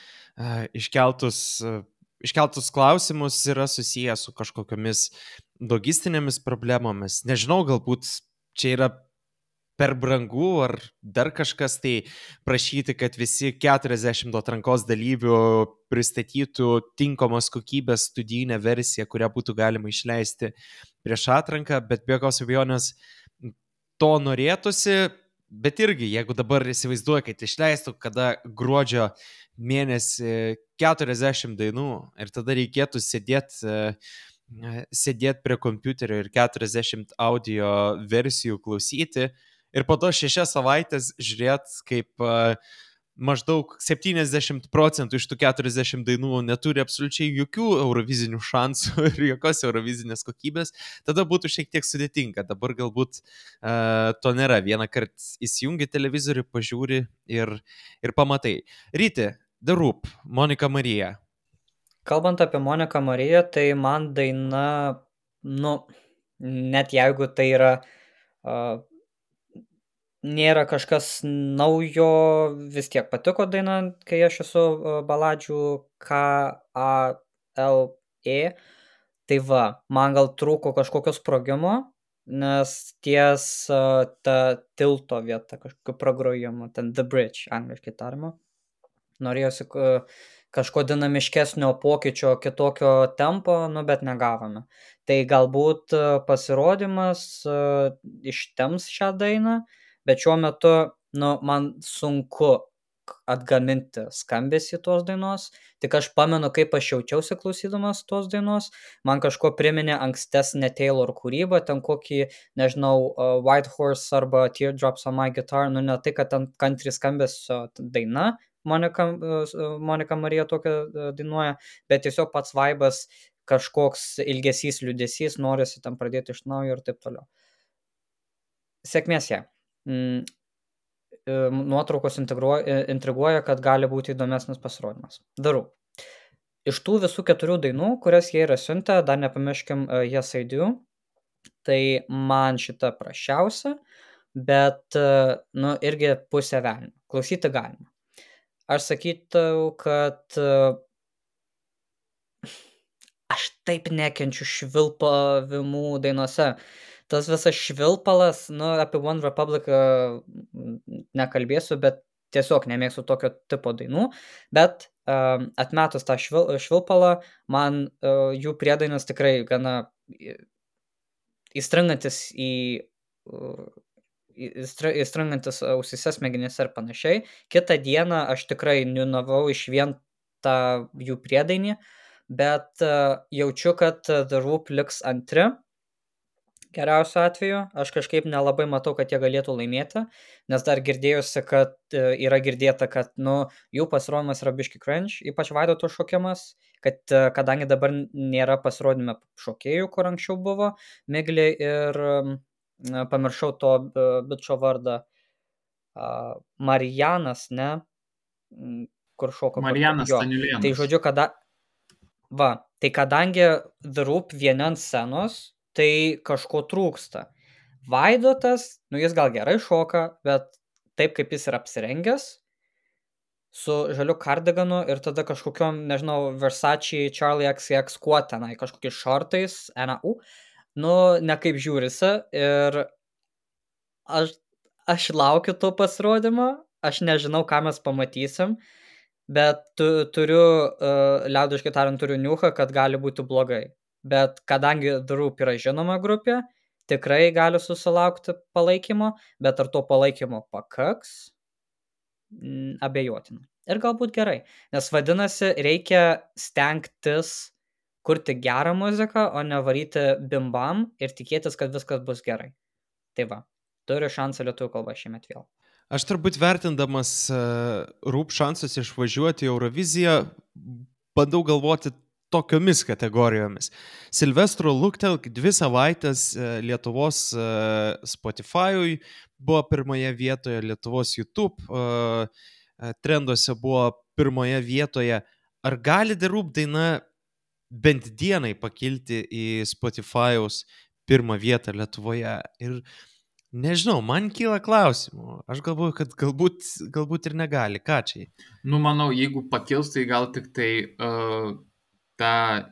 iškeltus uh, Iškeltus klausimus yra susijęs su kažkokiamis logistinėmis problemomis. Nežinau, galbūt čia yra per brangu ar dar kažkas, tai prašyti, kad visi keturiasdešimt atrankos dalyvių pristatytų tinkamos kokybės studijinę versiją, kurią būtų galima išleisti prieš atranką, bet be jokios abejonės to norėtųsi, bet irgi, jeigu dabar įsivaizduoju, kad išleistų kada gruodžio mėnesį keturiasdešimt dainų ir tada reikėtų sėdėti sėdėt prie kompiuterio ir keturiasdešimt audio versijų klausyti ir po to šešias savaitės žiūrėti, kaip maždaug septyniasdešimt procentų iš tų keturiasdešimt dainų neturi absoliučiai jokių eurovizinių šansų ir jokios eurovizinės kokybės, tada būtų šiek tiek sudėtinga. Dabar galbūt uh, to nėra. Vieną kartą įsijungi televizorių, pažiūri ir, ir pamatai. Ryti, The Roop, Monika Marija. Kalbant apie Moniką Mariją, tai man daina, nu, net jeigu tai yra uh, nėra kažkas naujo, vis tiek patiko daina, kai aš esu baladžių K A L E, tai va, man gal trūko kažkokio sprogimo, nes ties uh, ta tilto vieta, kažkokio pragrojimo, ten The Bridge, angliškai tariama, norėjosi uh, kažko dinamiškesnio pokyčio, kitokio tempo, nu, bet negavome. Tai galbūt uh, pasirodymas uh, ištems šią dainą, bet šiuo metu, nu, man sunku atgaminti skambesį tos dainos, tik aš pamenu, kaip aš jaučiausi klausydamas tos dainos, man kažko priminė ankstesnę Taylor kūrybą, ten kokį, nežinau, uh, White Horse arba Teardrops on My Guitar, nu, ne tai, kad ten country skambesio daina, Monika, uh, Monika Marija tokia uh, dainuoja, bet tiesiog pats vaibas, kažkoks ilgesys, liūdesys, norisi ten pradėti iš naujo ir taip toliau. Sėkmės ją. Mm. nuotraukos intriguoja, intriguoja, kad gali būti įdomesnis pasirodymas. Darau. Iš tų visų keturių dainų, kurias jie yra siuntę, dar nepamirškim uh, Yes I Do, tai man šita prašiausia, bet, uh, nu, irgi pusė velnio. Klausyti galima. Aš sakyčiau, kad uh, aš taip nekenčiu švilpavimų dainose. Tas visas švilpalas, nu, apie One Republic uh, nekalbėsiu, bet tiesiog nemėgstu tokio tipo dainų, bet uh, atmetus tą švil, švilpalą, man uh, jų priedainas tikrai gana įstringantis į uh, įstringantis ausise, smegenyse ir panašiai. Kitą dieną aš tikrai niunavau iš vien tą jų priedainį, bet uh, jaučiu, kad The Roop liks antri. Geriausiu atveju, aš kažkaip nelabai matau, kad jie galėtų laimėti, nes dar girdėjusi, kad yra girdėta, kad, nu, jų pasirodymas yra biški cringe, ypač Vaidoto šokimas, kad kadangi dabar nėra pasirodyme šokėjų, kur anksčiau buvo, Miglė ir na, pamiršau to bičo vardą, uh, Marijanas, ne, kur šoko. Marijanas Staniulėnas. Tai žodžiu, kada, va, tai kadangi The Roop vieni ant scenos, tai kažko trūksta. Vaidotas, nu jis gal gerai šoka, bet taip kaip jis yra apsirengęs, su žaliu kardiganu ir tada kažkokiom, nežinau, Versace, Charlie X X kuo tenai, kažkokiais šortais, N A U, nu, nekaip žiūrisi ir aš, aš laukiu to pasirodymo, aš nežinau, ką mes pamatysim, bet tu, turiu, uh, liaudiškai tariant, turiu niuchą, kad gali būti blogai. Bet kadangi The Roop yra žinoma grupė, tikrai gali susilaukti palaikymo, bet ar to palaikymo pakaks, mm, abejotina. Ir galbūt gerai, nes vadinasi, reikia stengtis kurti gerą muziką, o ne varyti bimbam ir tikėtis, kad viskas bus gerai. Tai va, turiu šansą lietuvių kalbą šiemet vėl. Aš turbūt vertindamas uh, Roop šansus išvažiuoti į Euroviziją, bandau galvoti tokiomis kategorijomis. Silvestro Luktelk dvi savaitės Lietuvos Spotify'ui buvo pirmoje vietoje, Lietuvos YouTube trenduose buvo pirmoje vietoje. Ar gali The Roop daina bent dienai pakilti į Spotify'aus pirmą vietą Lietuvoje? Ir nežinau, man kyla klausimų. Aš galvoju, kad galbūt, galbūt ir negali. Ką čia? Nu, manau, jeigu pakils, tai gal tik tai uh... tą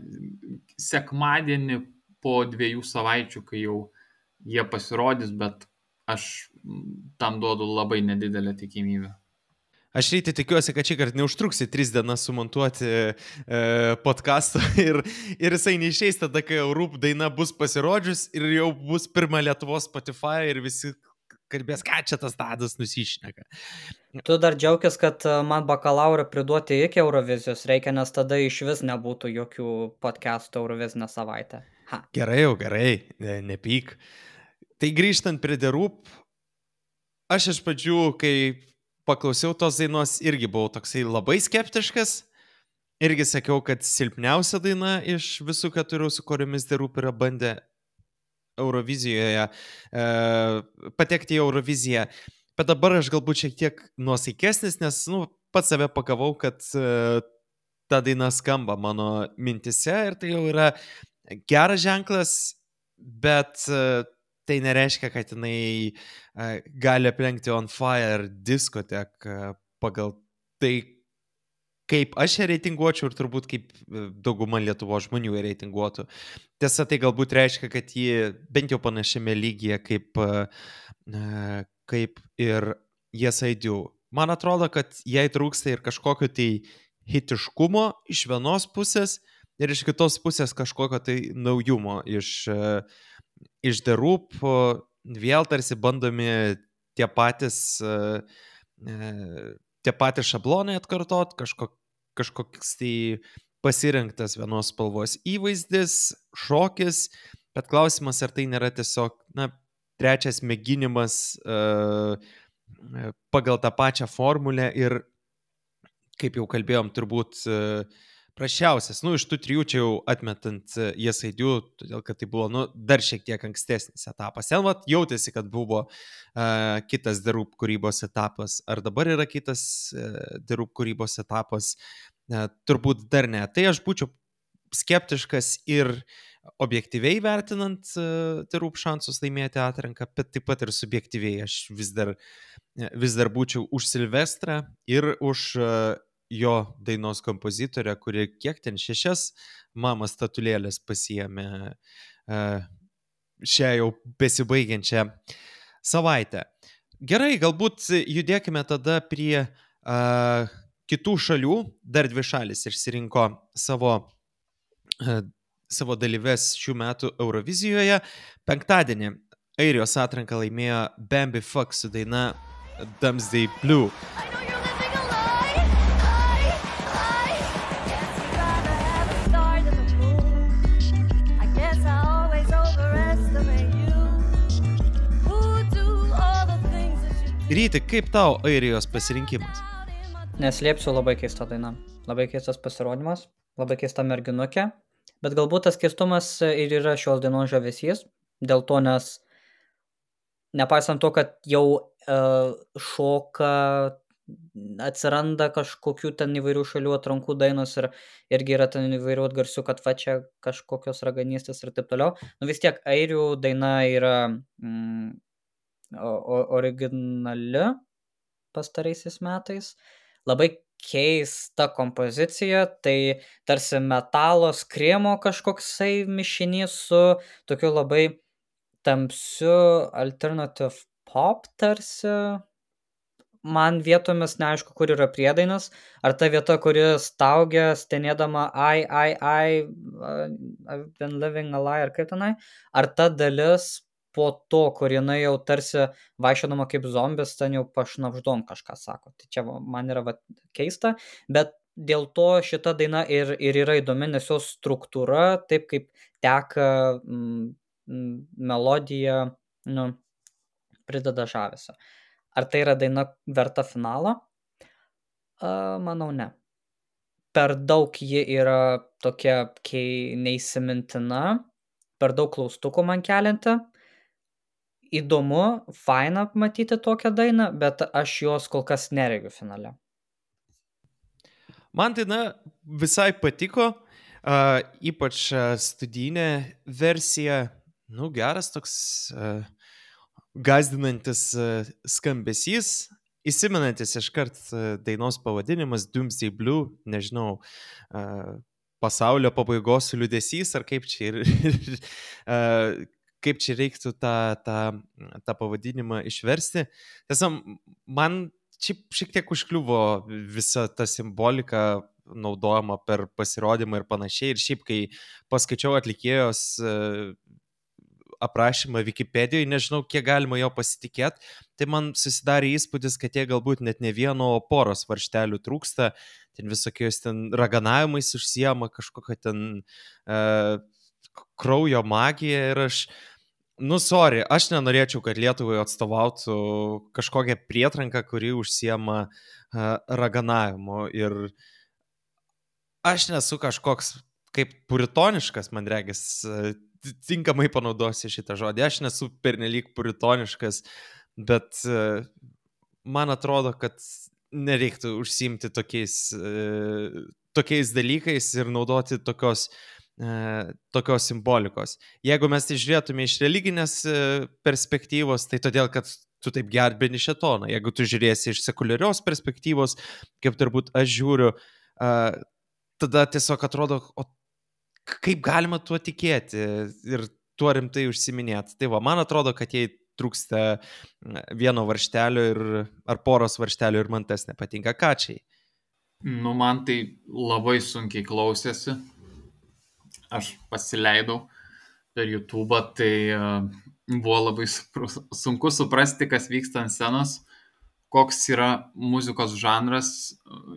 sekmadienį po dviejų savaičių, kai jau jie pasirodys, bet aš tam duodu labai nedidelę tikimybę. Aš ryte tikiuosi, kad šį kartą neužtruksi tris dienas sumontuoti e, podcastą ir, ir jisai neišeis tada, kai jau Roop daina bus pasirodžius ir jau bus pirma Lietuvos Spotify ir visi kalbės, ką čia tas Tadas nusišneka. Tu dar džiaugis, kad man bakalaurą priduoti iki Eurovizijos reikia, nes tada iš vis nebūtų jokių podcastų Eurovizinę savaitę. Ha. Gerai jau, gerai, ne, nepyk. Tai grįžtant prie The Roop, aš iš pradžių, kai paklausiau tos dainos, irgi buvau toksai labai skeptiškas. Irgi sakiau, kad silpniausia daina iš visų keturių, su kuriomis The Roop yra bandę Eurovizijoje, e, patekti į Euroviziją. Bet dabar aš galbūt šiek tiek nuosaikesnis, nes nu, pats save pagavau, kad e, ta daina skamba mano mintise ir tai jau yra geras ženklas, bet e, tai nereiškia, kad jinai e, gali aplenkti On Fire diskoteką pagal tai, kaip aš ją reitinguočiau ir turbūt kaip dauguma Lietuvos žmonių ją reitinguotų. Tiesa, tai galbūt reiškia, kad ji bent jau panašiame lygyje kaip, kaip ir Yes I Do. Man atrodo, kad jai trūksta ir kažkokio tai hitiškumo iš vienos pusės ir iš kitos pusės kažkokio tai naujumo iš, iš The Roop. Vėl tarsi bandomi tie patys tie patys šablonai atkartot, kažko, kažkoks tai pasirinktas vienos spalvos įvaizdis, šokis, bet klausimas, ar tai nėra tiesiog, na, trečias mėginimas uh, pagal tą pačią formulę ir, kaip jau kalbėjom, turbūt uh, prašiausias. Nu, iš tų trijų čia jau atmetant Yes I Do, todėl kad tai buvo, nu, dar šiek tiek ankstesnis etapas. Ten vat jautėsi, kad buvo uh, kitas The Roop kūrybos etapas. Ar dabar yra kitas uh, The Roop kūrybos etapas? Uh, turbūt dar ne. Tai aš būčiau skeptiškas ir objektyviai vertinant uh, The Roop šansus laimėti atranką, bet taip pat ir subjektyviai. Aš vis dar, vis dar būčiau už Silvestrą ir už uh, jo dainos kompozitorę, kuri kiek ten šešias mama statulėlės pasiėmė uh, šią jau besibaigiančią savaitę. Gerai, galbūt judėkime tada prie uh, kitų šalių. Dar dvi šalis išsirinko savo savo dalyves šių metų Eurovizijoje. Penktadienį Airijos atranką laimėjo Bambi Fuck su daina Doomsday Blue. Ryti, kaip tau Airijos pasirinkimas? Neslėpsiu, labai keista daina. Labai keistas pasirodymas, labai keista merginukė. Bet galbūt tas keistumas ir yra šios dainos žavesys, dėl to, nes nepaisant to, kad jau uh, šoka, atsiranda kažkokių ten įvairių šalių atrankų dainos ir irgi yra ten įvairių atgarsių, kad va čia kažkokios raganystės ir taip toliau. Nu vis tiek airių daina yra mm, originali pastaraisiais metais. Labai keista kompozicija, tai tarsi metalo skriemo kažkoksai mišinys su tokiu labai tamsiu alternative pop tarsi. Man vietomis neaišku, kur yra priedainas, ar ta vieta, kuri staugia, stenėdama I, I, I, I've been living a lie, ar kaip tenai, ar ta dalis po to, kur jinai jau tarsi vaikščiodama kaip zombis, ten jau pašnapždom kažką sako. Tai čia man yra va, keista, bet dėl to šita daina ir, ir yra įdomi, nes jos struktūra, taip kaip teka mm, melodija, nu, prideda žavesio. Ar tai yra daina verta finalo? A, manau, ne. Per daug ji yra tokia kei neįsimintina, per daug klaustukų man kelianti. Įdomu, faina matyti tokią dainą, bet aš jos kol kas neregiu finale. Man daina visai patiko, uh, ypač uh, studijinė versija, nu geras toks uh, gazdinantis uh, skambesys, įsimenantis iškart uh, dainos pavadinimas Doomsday Blue, nežinau, uh, pasaulio pabaigos liūdesys, ar kaip čia ir... uh, kaip čia reiktų tą, tą, tą pavadinimą išversti. Tiesa, man šiaip šiek tiek užkliuvo visa ta simbolika naudojama per pasirodymą ir panašiai. Ir šiaip, kai paskaičiau atlikėjos aprašymą Wikipedijoje, nežinau, kiek galima jo pasitikėti, tai man susidarė įspūdis, kad jie galbūt net ne vieno poros varžtelių trūksta, ten visokios ten raganavimais užsiema, kažkokia ten uh, kraujo magija ir aš Nu, sorry, aš nenorėčiau, kad Lietuvai atstovautų kažkokią prietranką, kuri užsiema uh, raganavimu. Ir aš nesu kažkoks kaip puritoniškas, man regis, uh, tinkamai panaudosiu šitą žodį. Aš nesu pernelyg puritoniškas, bet uh, man atrodo, kad nereiktų užsiimti tokiais, uh, tokiais dalykais ir naudoti tokios tokios simbolikos. Jeigu mes tai žiūrėtume iš religinės perspektyvos, tai todėl, kad tu taip gerbini šėtoną. Jeigu tu žiūrėsi iš sekuliarios perspektyvos, kaip turbūt aš žiūriu, tada tiesiog atrodo, o kaip galima tuo tikėti ir tuo rimtai užsiminėti. Tai va, man atrodo, kad jai trūksta vieno varžtelio ir, ar poros varžtelio ir man tas nepatinka. Kačiai? Nu, man tai labai sunkiai klausėsi. Aš pasileidau per YouTube, tai uh, buvo labai sunku suprasti, kas vyksta ant scenos, koks yra muzikos žanras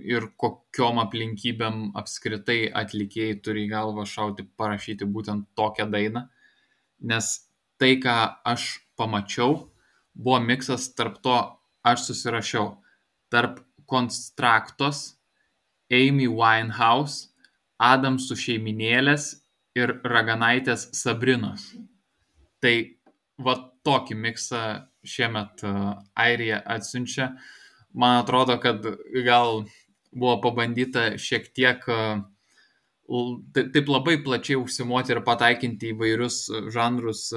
ir kokiom aplinkybėm apskritai atlikėjai turi į galvą šauti parašyti būtent tokią dainą. Nes tai, ką aš pamačiau, buvo miksas tarp to, aš susirašiau, tarp Konstraktos, Amy Winehouse, Adamsų šeiminėlės ir Raganaitės Sabrinos. Tai va tokį miksą šiemet Airija atsiunčia. Man atrodo, kad gal buvo pabandyta šiek tiek taip labai plačiai užsimoti ir pataikinti įvairius žanrus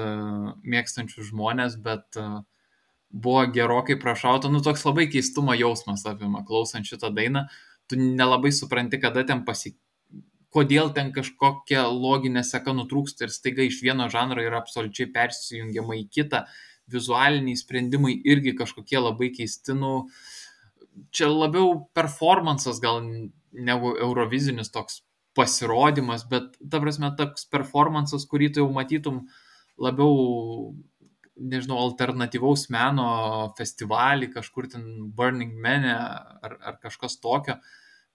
mėgstančius žmonės, bet buvo gerokai prašauta. Nu, toks labai keistumo jausmas apima klausant šitą dainą. Tu nelabai supranti, kada ten pasi... kodėl ten kažkokia loginė seka nutrūksta ir staiga iš vieno žanro yra absoliučiai persijungiama į kitą. Vizualiniai sprendimai irgi kažkokie labai keisti. Nu, čia labiau performances gal negu eurovizinis toks pasirodymas, bet ta prasme toks performances, kurį tu jau matytum labiau, nežinau, alternatyvaus meno festivalį, kažkur ten Burning Man'e ar, ar kažkas tokio,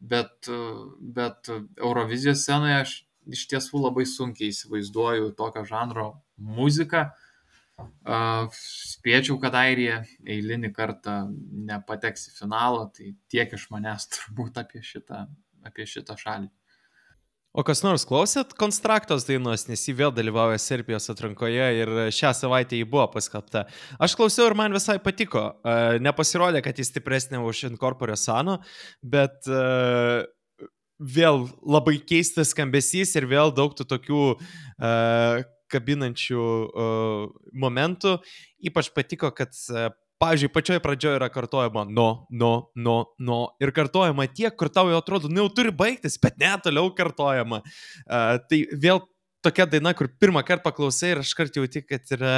bet, bet Eurovizijos scenoje aš iš tiesų labai sunkiai įsivaizduoju tokio žanro muziką. Uh, spėčiau, kad Airija eilinį kartą nepateks į finalą, tai tiek iš manęs turbūt apie šitą, apie šitą šalį. O kas nors klausėt Konstraktos dainos, nes jį vėl dalyvauja Serbijos atrankoje ir šią savaitę jį buvo paskelbta. Aš klausiau ir man visai patiko. Uh, nepasirodė, kad jis stipresnė už Incorpore Sano, bet uh, vėl labai keistas skambesys ir vėl daug tų tokių uh, kabinančių uh, momentų. Ypač patiko, kad uh, pavyzdžiui, pačioje pradžioje yra kartojama no, no, no, no ir kartojama tiek, kur tau jau atrodo, nu jau turi baigtis, bet ne, toliau kartojama. Uh, tai vėl tokia daina, kur pirmą kartą paklausai ir aš kart jauti, kad yra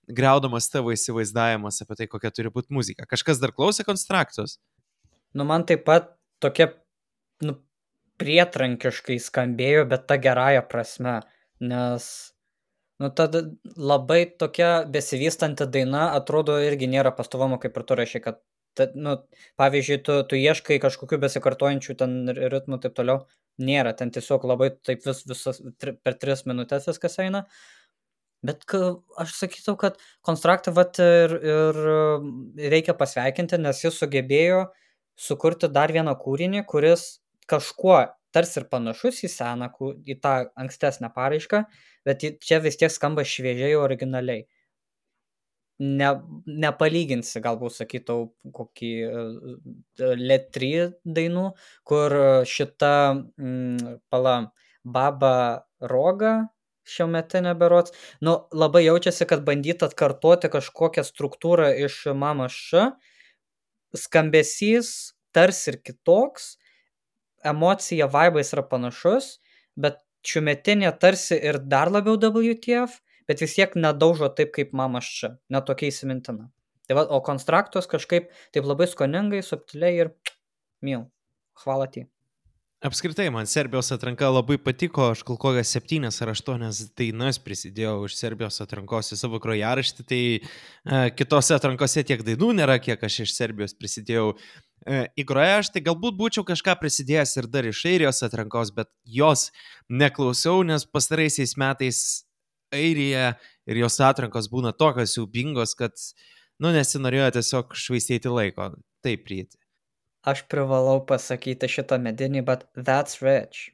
griaudamas tavo įsivaizdavimas apie tai, kokia turi būti muzika. Kažkas dar klausė Konstraktos? Nu, man taip pat tokia, nu, prietrankiškai skambėjo, bet ta gerąja prasme, nes nu, tada labai tokia besivystanti daina atrodo irgi nėra pastovumo, kaip ir tu rašai, kad, ta, nu, pavyzdžiui, tu, tu ieškai kažkokių besikartojančių ten ritmų taip toliau, nėra, ten tiesiog labai taip vis, visas, tri, per tris minutės viskas eina, bet ka, aš sakyčiau, kad Konstraktą vat ir, ir reikia pasveikinti, nes jis sugebėjo sukurti dar vieną kūrinį, kuris kažkuo tarsi ir panašus į seną, į tą ankstesnę paraišką, bet čia vis tiek skamba šviežiai originaliai. Ne, nepalyginsi, galbūt sakytau, kokį Let trys dainų, kur šita mm, pala Baba Roga šiuometinė berods, nu, labai jaučiasi, kad bandyt atkartoti kažkokią struktūrą iš Mama Š, skambesys tarsi ir kitoks, emocija, vibais yra panašus, bet šiuometinė tarsi ir dar labiau W T F, bet vis tiek nedaužo taip kaip Mama Š, netokia įsimintina. Tai va, o Konstraktos kažkaip taip labai skoningai, subtiliai ir mil. Hvala ti. Apskritai, man Serbijos atranka labai patiko, aš kol kokias septynias ar aštuonias dainas prisidėjau iš Serbijos atrankos į savo grojaraštį, tai e, kitose atrankose tiek dainų nėra, kiek aš iš Serbijos prisidėjau e, į grojaraštį. Galbūt būčiau kažką prisidėjęs ir dar iš Airijos atrankos, bet jos neklausiau, nes pastaraisiais metais Airija ir jos atrankos būna tokios siaubingos, kad, nu, nesinorėjo tiesiog švaistyti laiko. Taip, prieiti. Aš privalau pasakyti šitą medinį, bet That's Rich.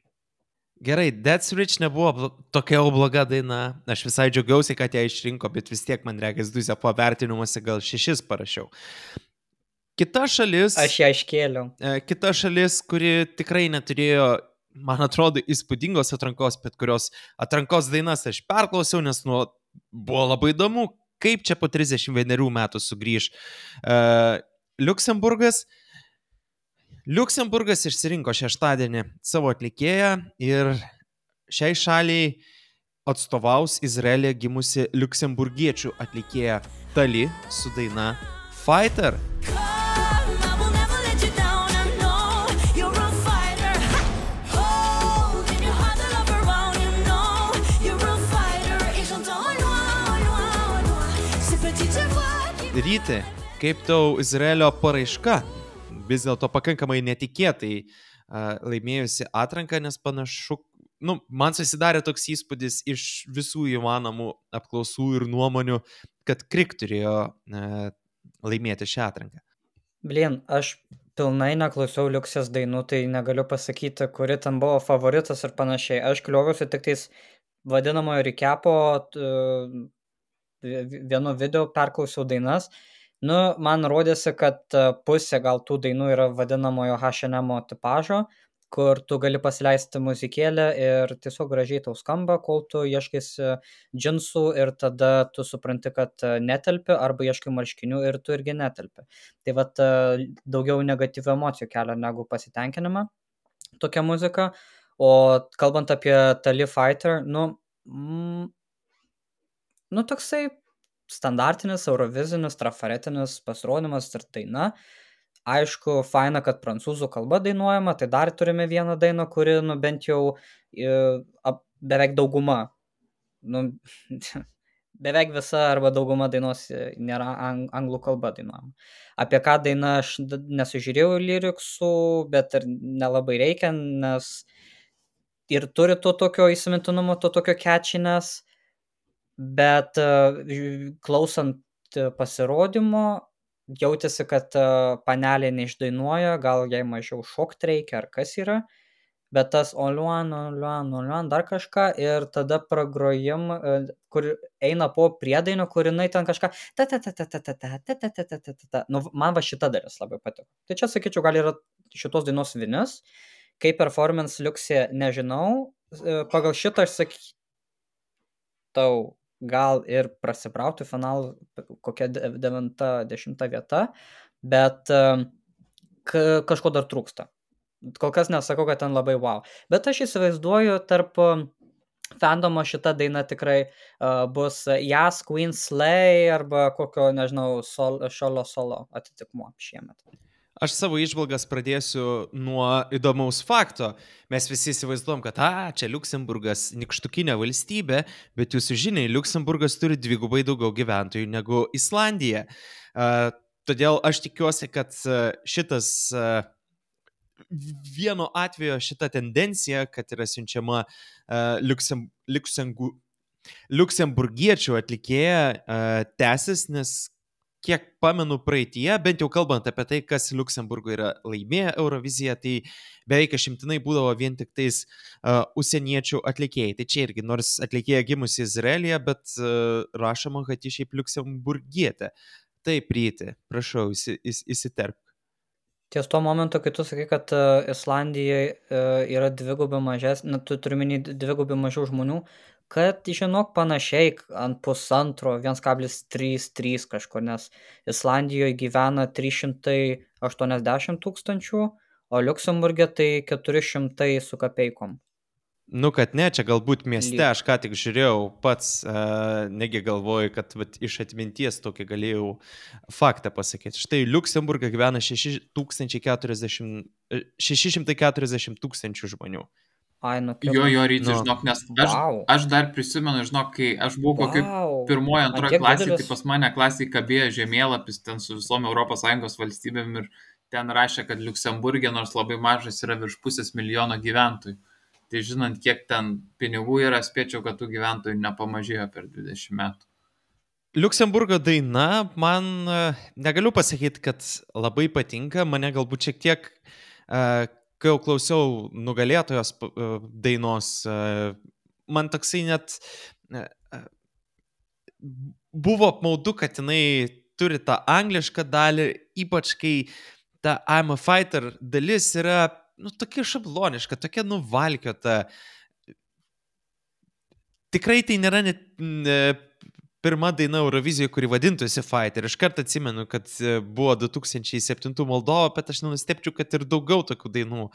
Gerai, That's Rich nebuvo tokia jau bloga daina. Aš visai džiaugiausi, kad ją išrinko, bet vis tiek man reikia Duzė po vertinimuose gal šešis parašiau. Kita šalis... Aš ją iškėliau. Kita šalis, kuri tikrai neturėjo, man atrodo, įspūdingos atrankos, bet kurios atrankos dainas aš perklausiau, nes nu, buvo labai įdomu, kaip čia po trisdešimt vienerių metų sugrįž uh, Liuksemburgas. Liuksemburgas išsirinko šeštadienį savo atlikėją ir šiai šaliai atstovaus Izraelė gimusi liuksemburgiečių atlikėja Tali su daina Fighter. Ryti, kaip tau Izraelio paraiška? Vis dėlto pakankamai netikėtai uh, laimėjusi atranką, nes panašu, nu, man susidarė toks įspūdis iš visų įmanomų apklausų ir nuomonių, kad Krik turėjo uh, laimėti šią atranką. Blin, aš pilnai neklausiau Liuksės dainų, tai negaliu pasakyti, kuri ten buvo favoritas ir panašiai. Aš kliuoviausi tik tais vadinamojo recapo vienu video, perklausiau dainas. Nu, man rodėsi, kad pusė gal tų dainų yra vadinamojo H and M tipažo, kur tu gali pasileisti muzikėlę ir tiesiog gražiai tau skamba, kol tu ieškaisi džinsų ir tada tu supranti, kad netelpi, arba ieškai marškinių ir tu irgi netelpi. Tai vat daugiau negatyvių emocijų kelia negu pasitenkinimą tokia muzika. O kalbant apie Tali Fighter, nu, mm, nu toksai standartinis, eurovizinis, trafaretinis pasirodymas ir daina. Aišku, faina, kad prancūzų kalba dainuojama, tai dar turime vieną dainą, kuri, nu, bent jau ap, beveik dauguma, nu, beveik visa arba dauguma dainos nėra ang, anglų kalba dainuojama. Apie ką daina aš nesužiūrėjau lyriksų, bet ir nelabai reikia, nes ir turi to tokio įsimintinumo, to tokio catchiness, bet klausant pasirodymo, jautėsi, kad panelė neišdainuoja, gal jai mažiau šokti reikia, ar kas yra, bet tas oliuan, oliuan, oliuan, dar kažką, ir tada pragrojim, kur eina po priedainio, kur jinai ten kažką, ta ta ta ta ta ta ta ta ta ta ta ta, nu, man va šita dalis labai patiko. Tai čia, sakyčiau, gal yra šitos dainos vinis, kaip performance Liuksė nežinau, pagal šitą aš sakau, gal ir prasibrauti finalų kokia devinta, dešimta vieta, bet ka, kažko dar trūksta. Kol kas nesakau, kad ten labai wow. Bet aš įsivaizduoju, tarp fandomo šita daina tikrai uh, bus Yas, Queen Slay arba kokio, nežinau, sol, šolo solo atitikmuo šiemet. Aš savo išvalgas pradėsiu nuo įdomaus fakto. Mes visi įsivaizduom, kad a, čia Liuksemburgas nykštukinė valstybė, bet jūsų žiniai, Liuksemburgas turi dvigubai daugiau gyventojų negu Islandija. Uh, todėl aš tikiuosi, kad šitas uh, vieno atvejo šita tendencija, kad yra siunčiama uh, Liuksem, Liuksembu, liuksemburgiečių atlikėja uh, tęsis, nes kiek pamenu praeitie, bent jau kalbant apie tai, kas Liuksemburgo yra laimėję Euroviziją, tai beveik išimtinai būdavo vien tik tais uh, užsieniečių atlikėjai. Tai čia irgi, nors atlikėja gimusi Izraelyje, bet uh, rašoma, kad ji šiaip liuksemburgietė. Taip, Ryti, prašau, įsi, įs, įsiterpk. Ties tuo momentu, kai tu sakai, kad uh, Islandijai uh, yra dvigubai mažesnė, tu turi minį dvigubai mažiau žmonių, kad, žinok, panašiai ant pusantro, vienas kablis trys trys kažkur, nes Islandijoje gyvena trys šimtai aštuoniasdešimt tūkstančių, o Liuksemburge tai keturi šimtai su kapeikom. Nu, kad ne, čia galbūt mieste, aš ką tik žiūrėjau pats, uh, negi galvoju, kad vat, iš atminties tokį galėjau faktą pasakyti. Štai Liuksemburge gyvena šeši šimtai keturiasdešimt tūkstančių žmonių. Ai, nu, jo, jo, Ryti, nu. žinok, nes aš, wow. aš dar prisimenu, žinok, kai aš buvau kokiu wow. pirmoje, antroje klasėje, didelis... tai pas mane klasėje kabėjo žemėlapis ten su visom Europos Sąjungos valstybėm ir ten rašė, kad Liuksemburgė, nors labai mažas, yra virš pusės milijono gyventojų. Tai žinant, kiek ten pinigų yra, spėčiau, kad tų gyventojų nepamažėjo per dvidešimt metų. Liuksemburgo daina, man negaliu pasakyti, kad labai patinka, mane galbūt šiek tiek, kai jau klausiau nugalėtojos dainos, man toksai net buvo apmaudu, kad jinai turi tą anglišką dalį, ypač kai ta I'm a Fighter dalis yra nu, tokia šabloniška, tokia nuvalkiota. Tikrai tai nėra net ne, pirma daina Eurovizijoje, kuri vadintųsi Fighter. Iš karto atsimenu, kad buvo du tūkstančiai septintų Moldova, bet aš nenustepčiau, kad ir daugiau tokių dainų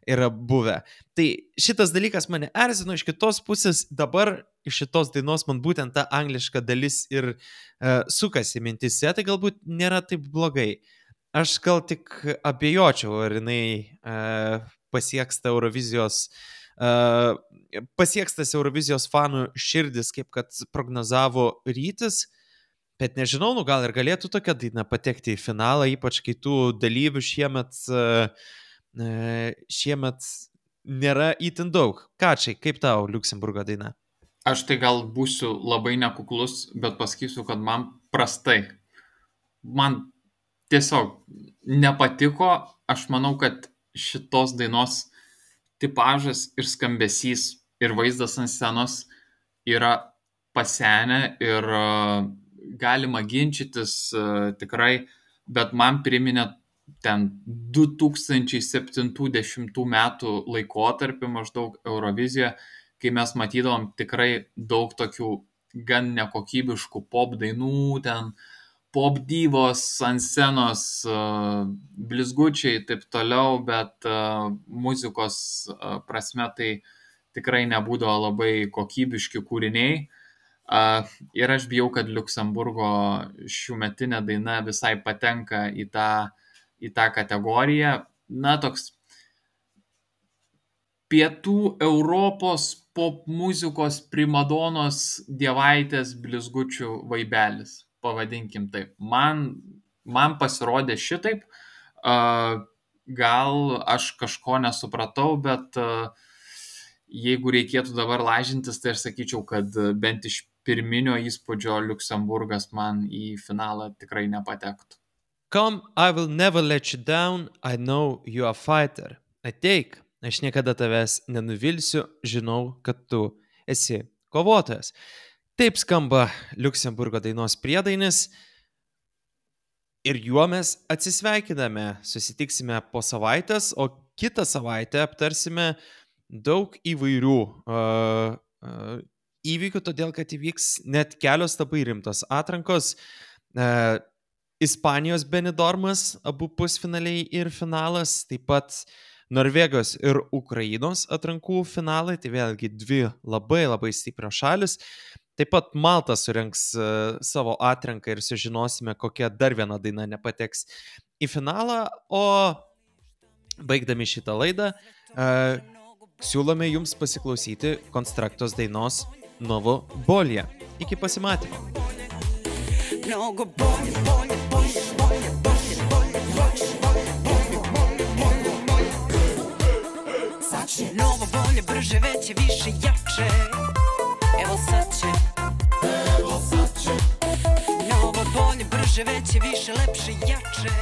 yra buvę. Tai šitas dalykas mane erzino, iš kitos pusės dabar iš šitos dainos man būtent ta angliška dalis ir uh, sukasi mintise, tai galbūt nėra taip blogai. Aš gal tik abejočiau, ar jinai uh, pasieks tą Eurovizijos, uh, pasieks tas Eurovizijos fanų širdis, kaip kad prognozavo Rytis, bet nežinau, nu gal ir galėtų tokia daina patekti į finalą, ypač kai tų dalyvių šiemet, uh, šiemet nėra itin daug. Ką čia, kaip tau Liuksemburgo daina? Aš tai gal būsiu labai nekuklus, bet pasakysiu, kad man prastai. Man tiesiog nepatiko. Aš manau, kad šitos dainos tipažas ir skambesys ir vaizdas ant scenos yra pasenę ir uh, galima ginčytis uh, tikrai, bet man priminė ten du tūkstančiai septyniasdešimtų metų laikotarpį maždaug Eurovizijoje, kai mes matydavom tikrai daug tokių gan nekokybiškų pop dainų, ten pop divos ant scenos, uh, blizgučiai ir taip toliau, bet uh, muzikos uh, prasme tai tikrai nebūdavo labai kokybiški kūriniai. Uh, ir aš bijau, kad Liuksemburgo šiųmetinė daina visai patenka į tą, į tą kategoriją. Na, toks pietų Europos pop muzikos primadonos dievaitės blizgučių vaibelis, pavadinkim taip. Man, man pasirodė šitaip. Uh, gal aš kažko nesupratau, bet uh, jeigu reikėtų dabar lažintis, tai aš sakyčiau, kad bent iš pirminio įspūdžio Liuksemburgas man į finalą tikrai nepatektų. Come, I will never let you down, I know you are a fighter. Ateik, aš niekada tavęs nenuvilsiu, žinau, kad tu esi kovotojas. Taip skamba Liuksemburgo dainos priedainis ir juo mes atsisveikiname. Susitiksime po savaitės, o kitą savaitę aptarsime daug įvairių uh, uh, įvykių, todėl kad įvyks net kelios labai rimtos atrankos. Uh, Ispanijos Benidormas, abu pusfinaliai ir finalas, taip pat Norvegijos ir Ukrainos atrankų finalai, tai vėlgi dvi labai labai stiprios šalis. Taip pat Malta surengs uh, savo atranką ir sužinosime, kokia dar viena daina nepateks į finalą. O baigdami šitą laidą, uh, siūlome jums pasiklausyti Konstraktos dainos Novo Bolje. Iki pasimatymo. Novo bolje, bolje, bolje, bolje, bolje, bolje, bolje, bolje, bolje. Sad će novo bolje, brže, veće, više, jače. Evo sad će, evo sad će. Novo bolje, brže, veće, više, lepše, jače.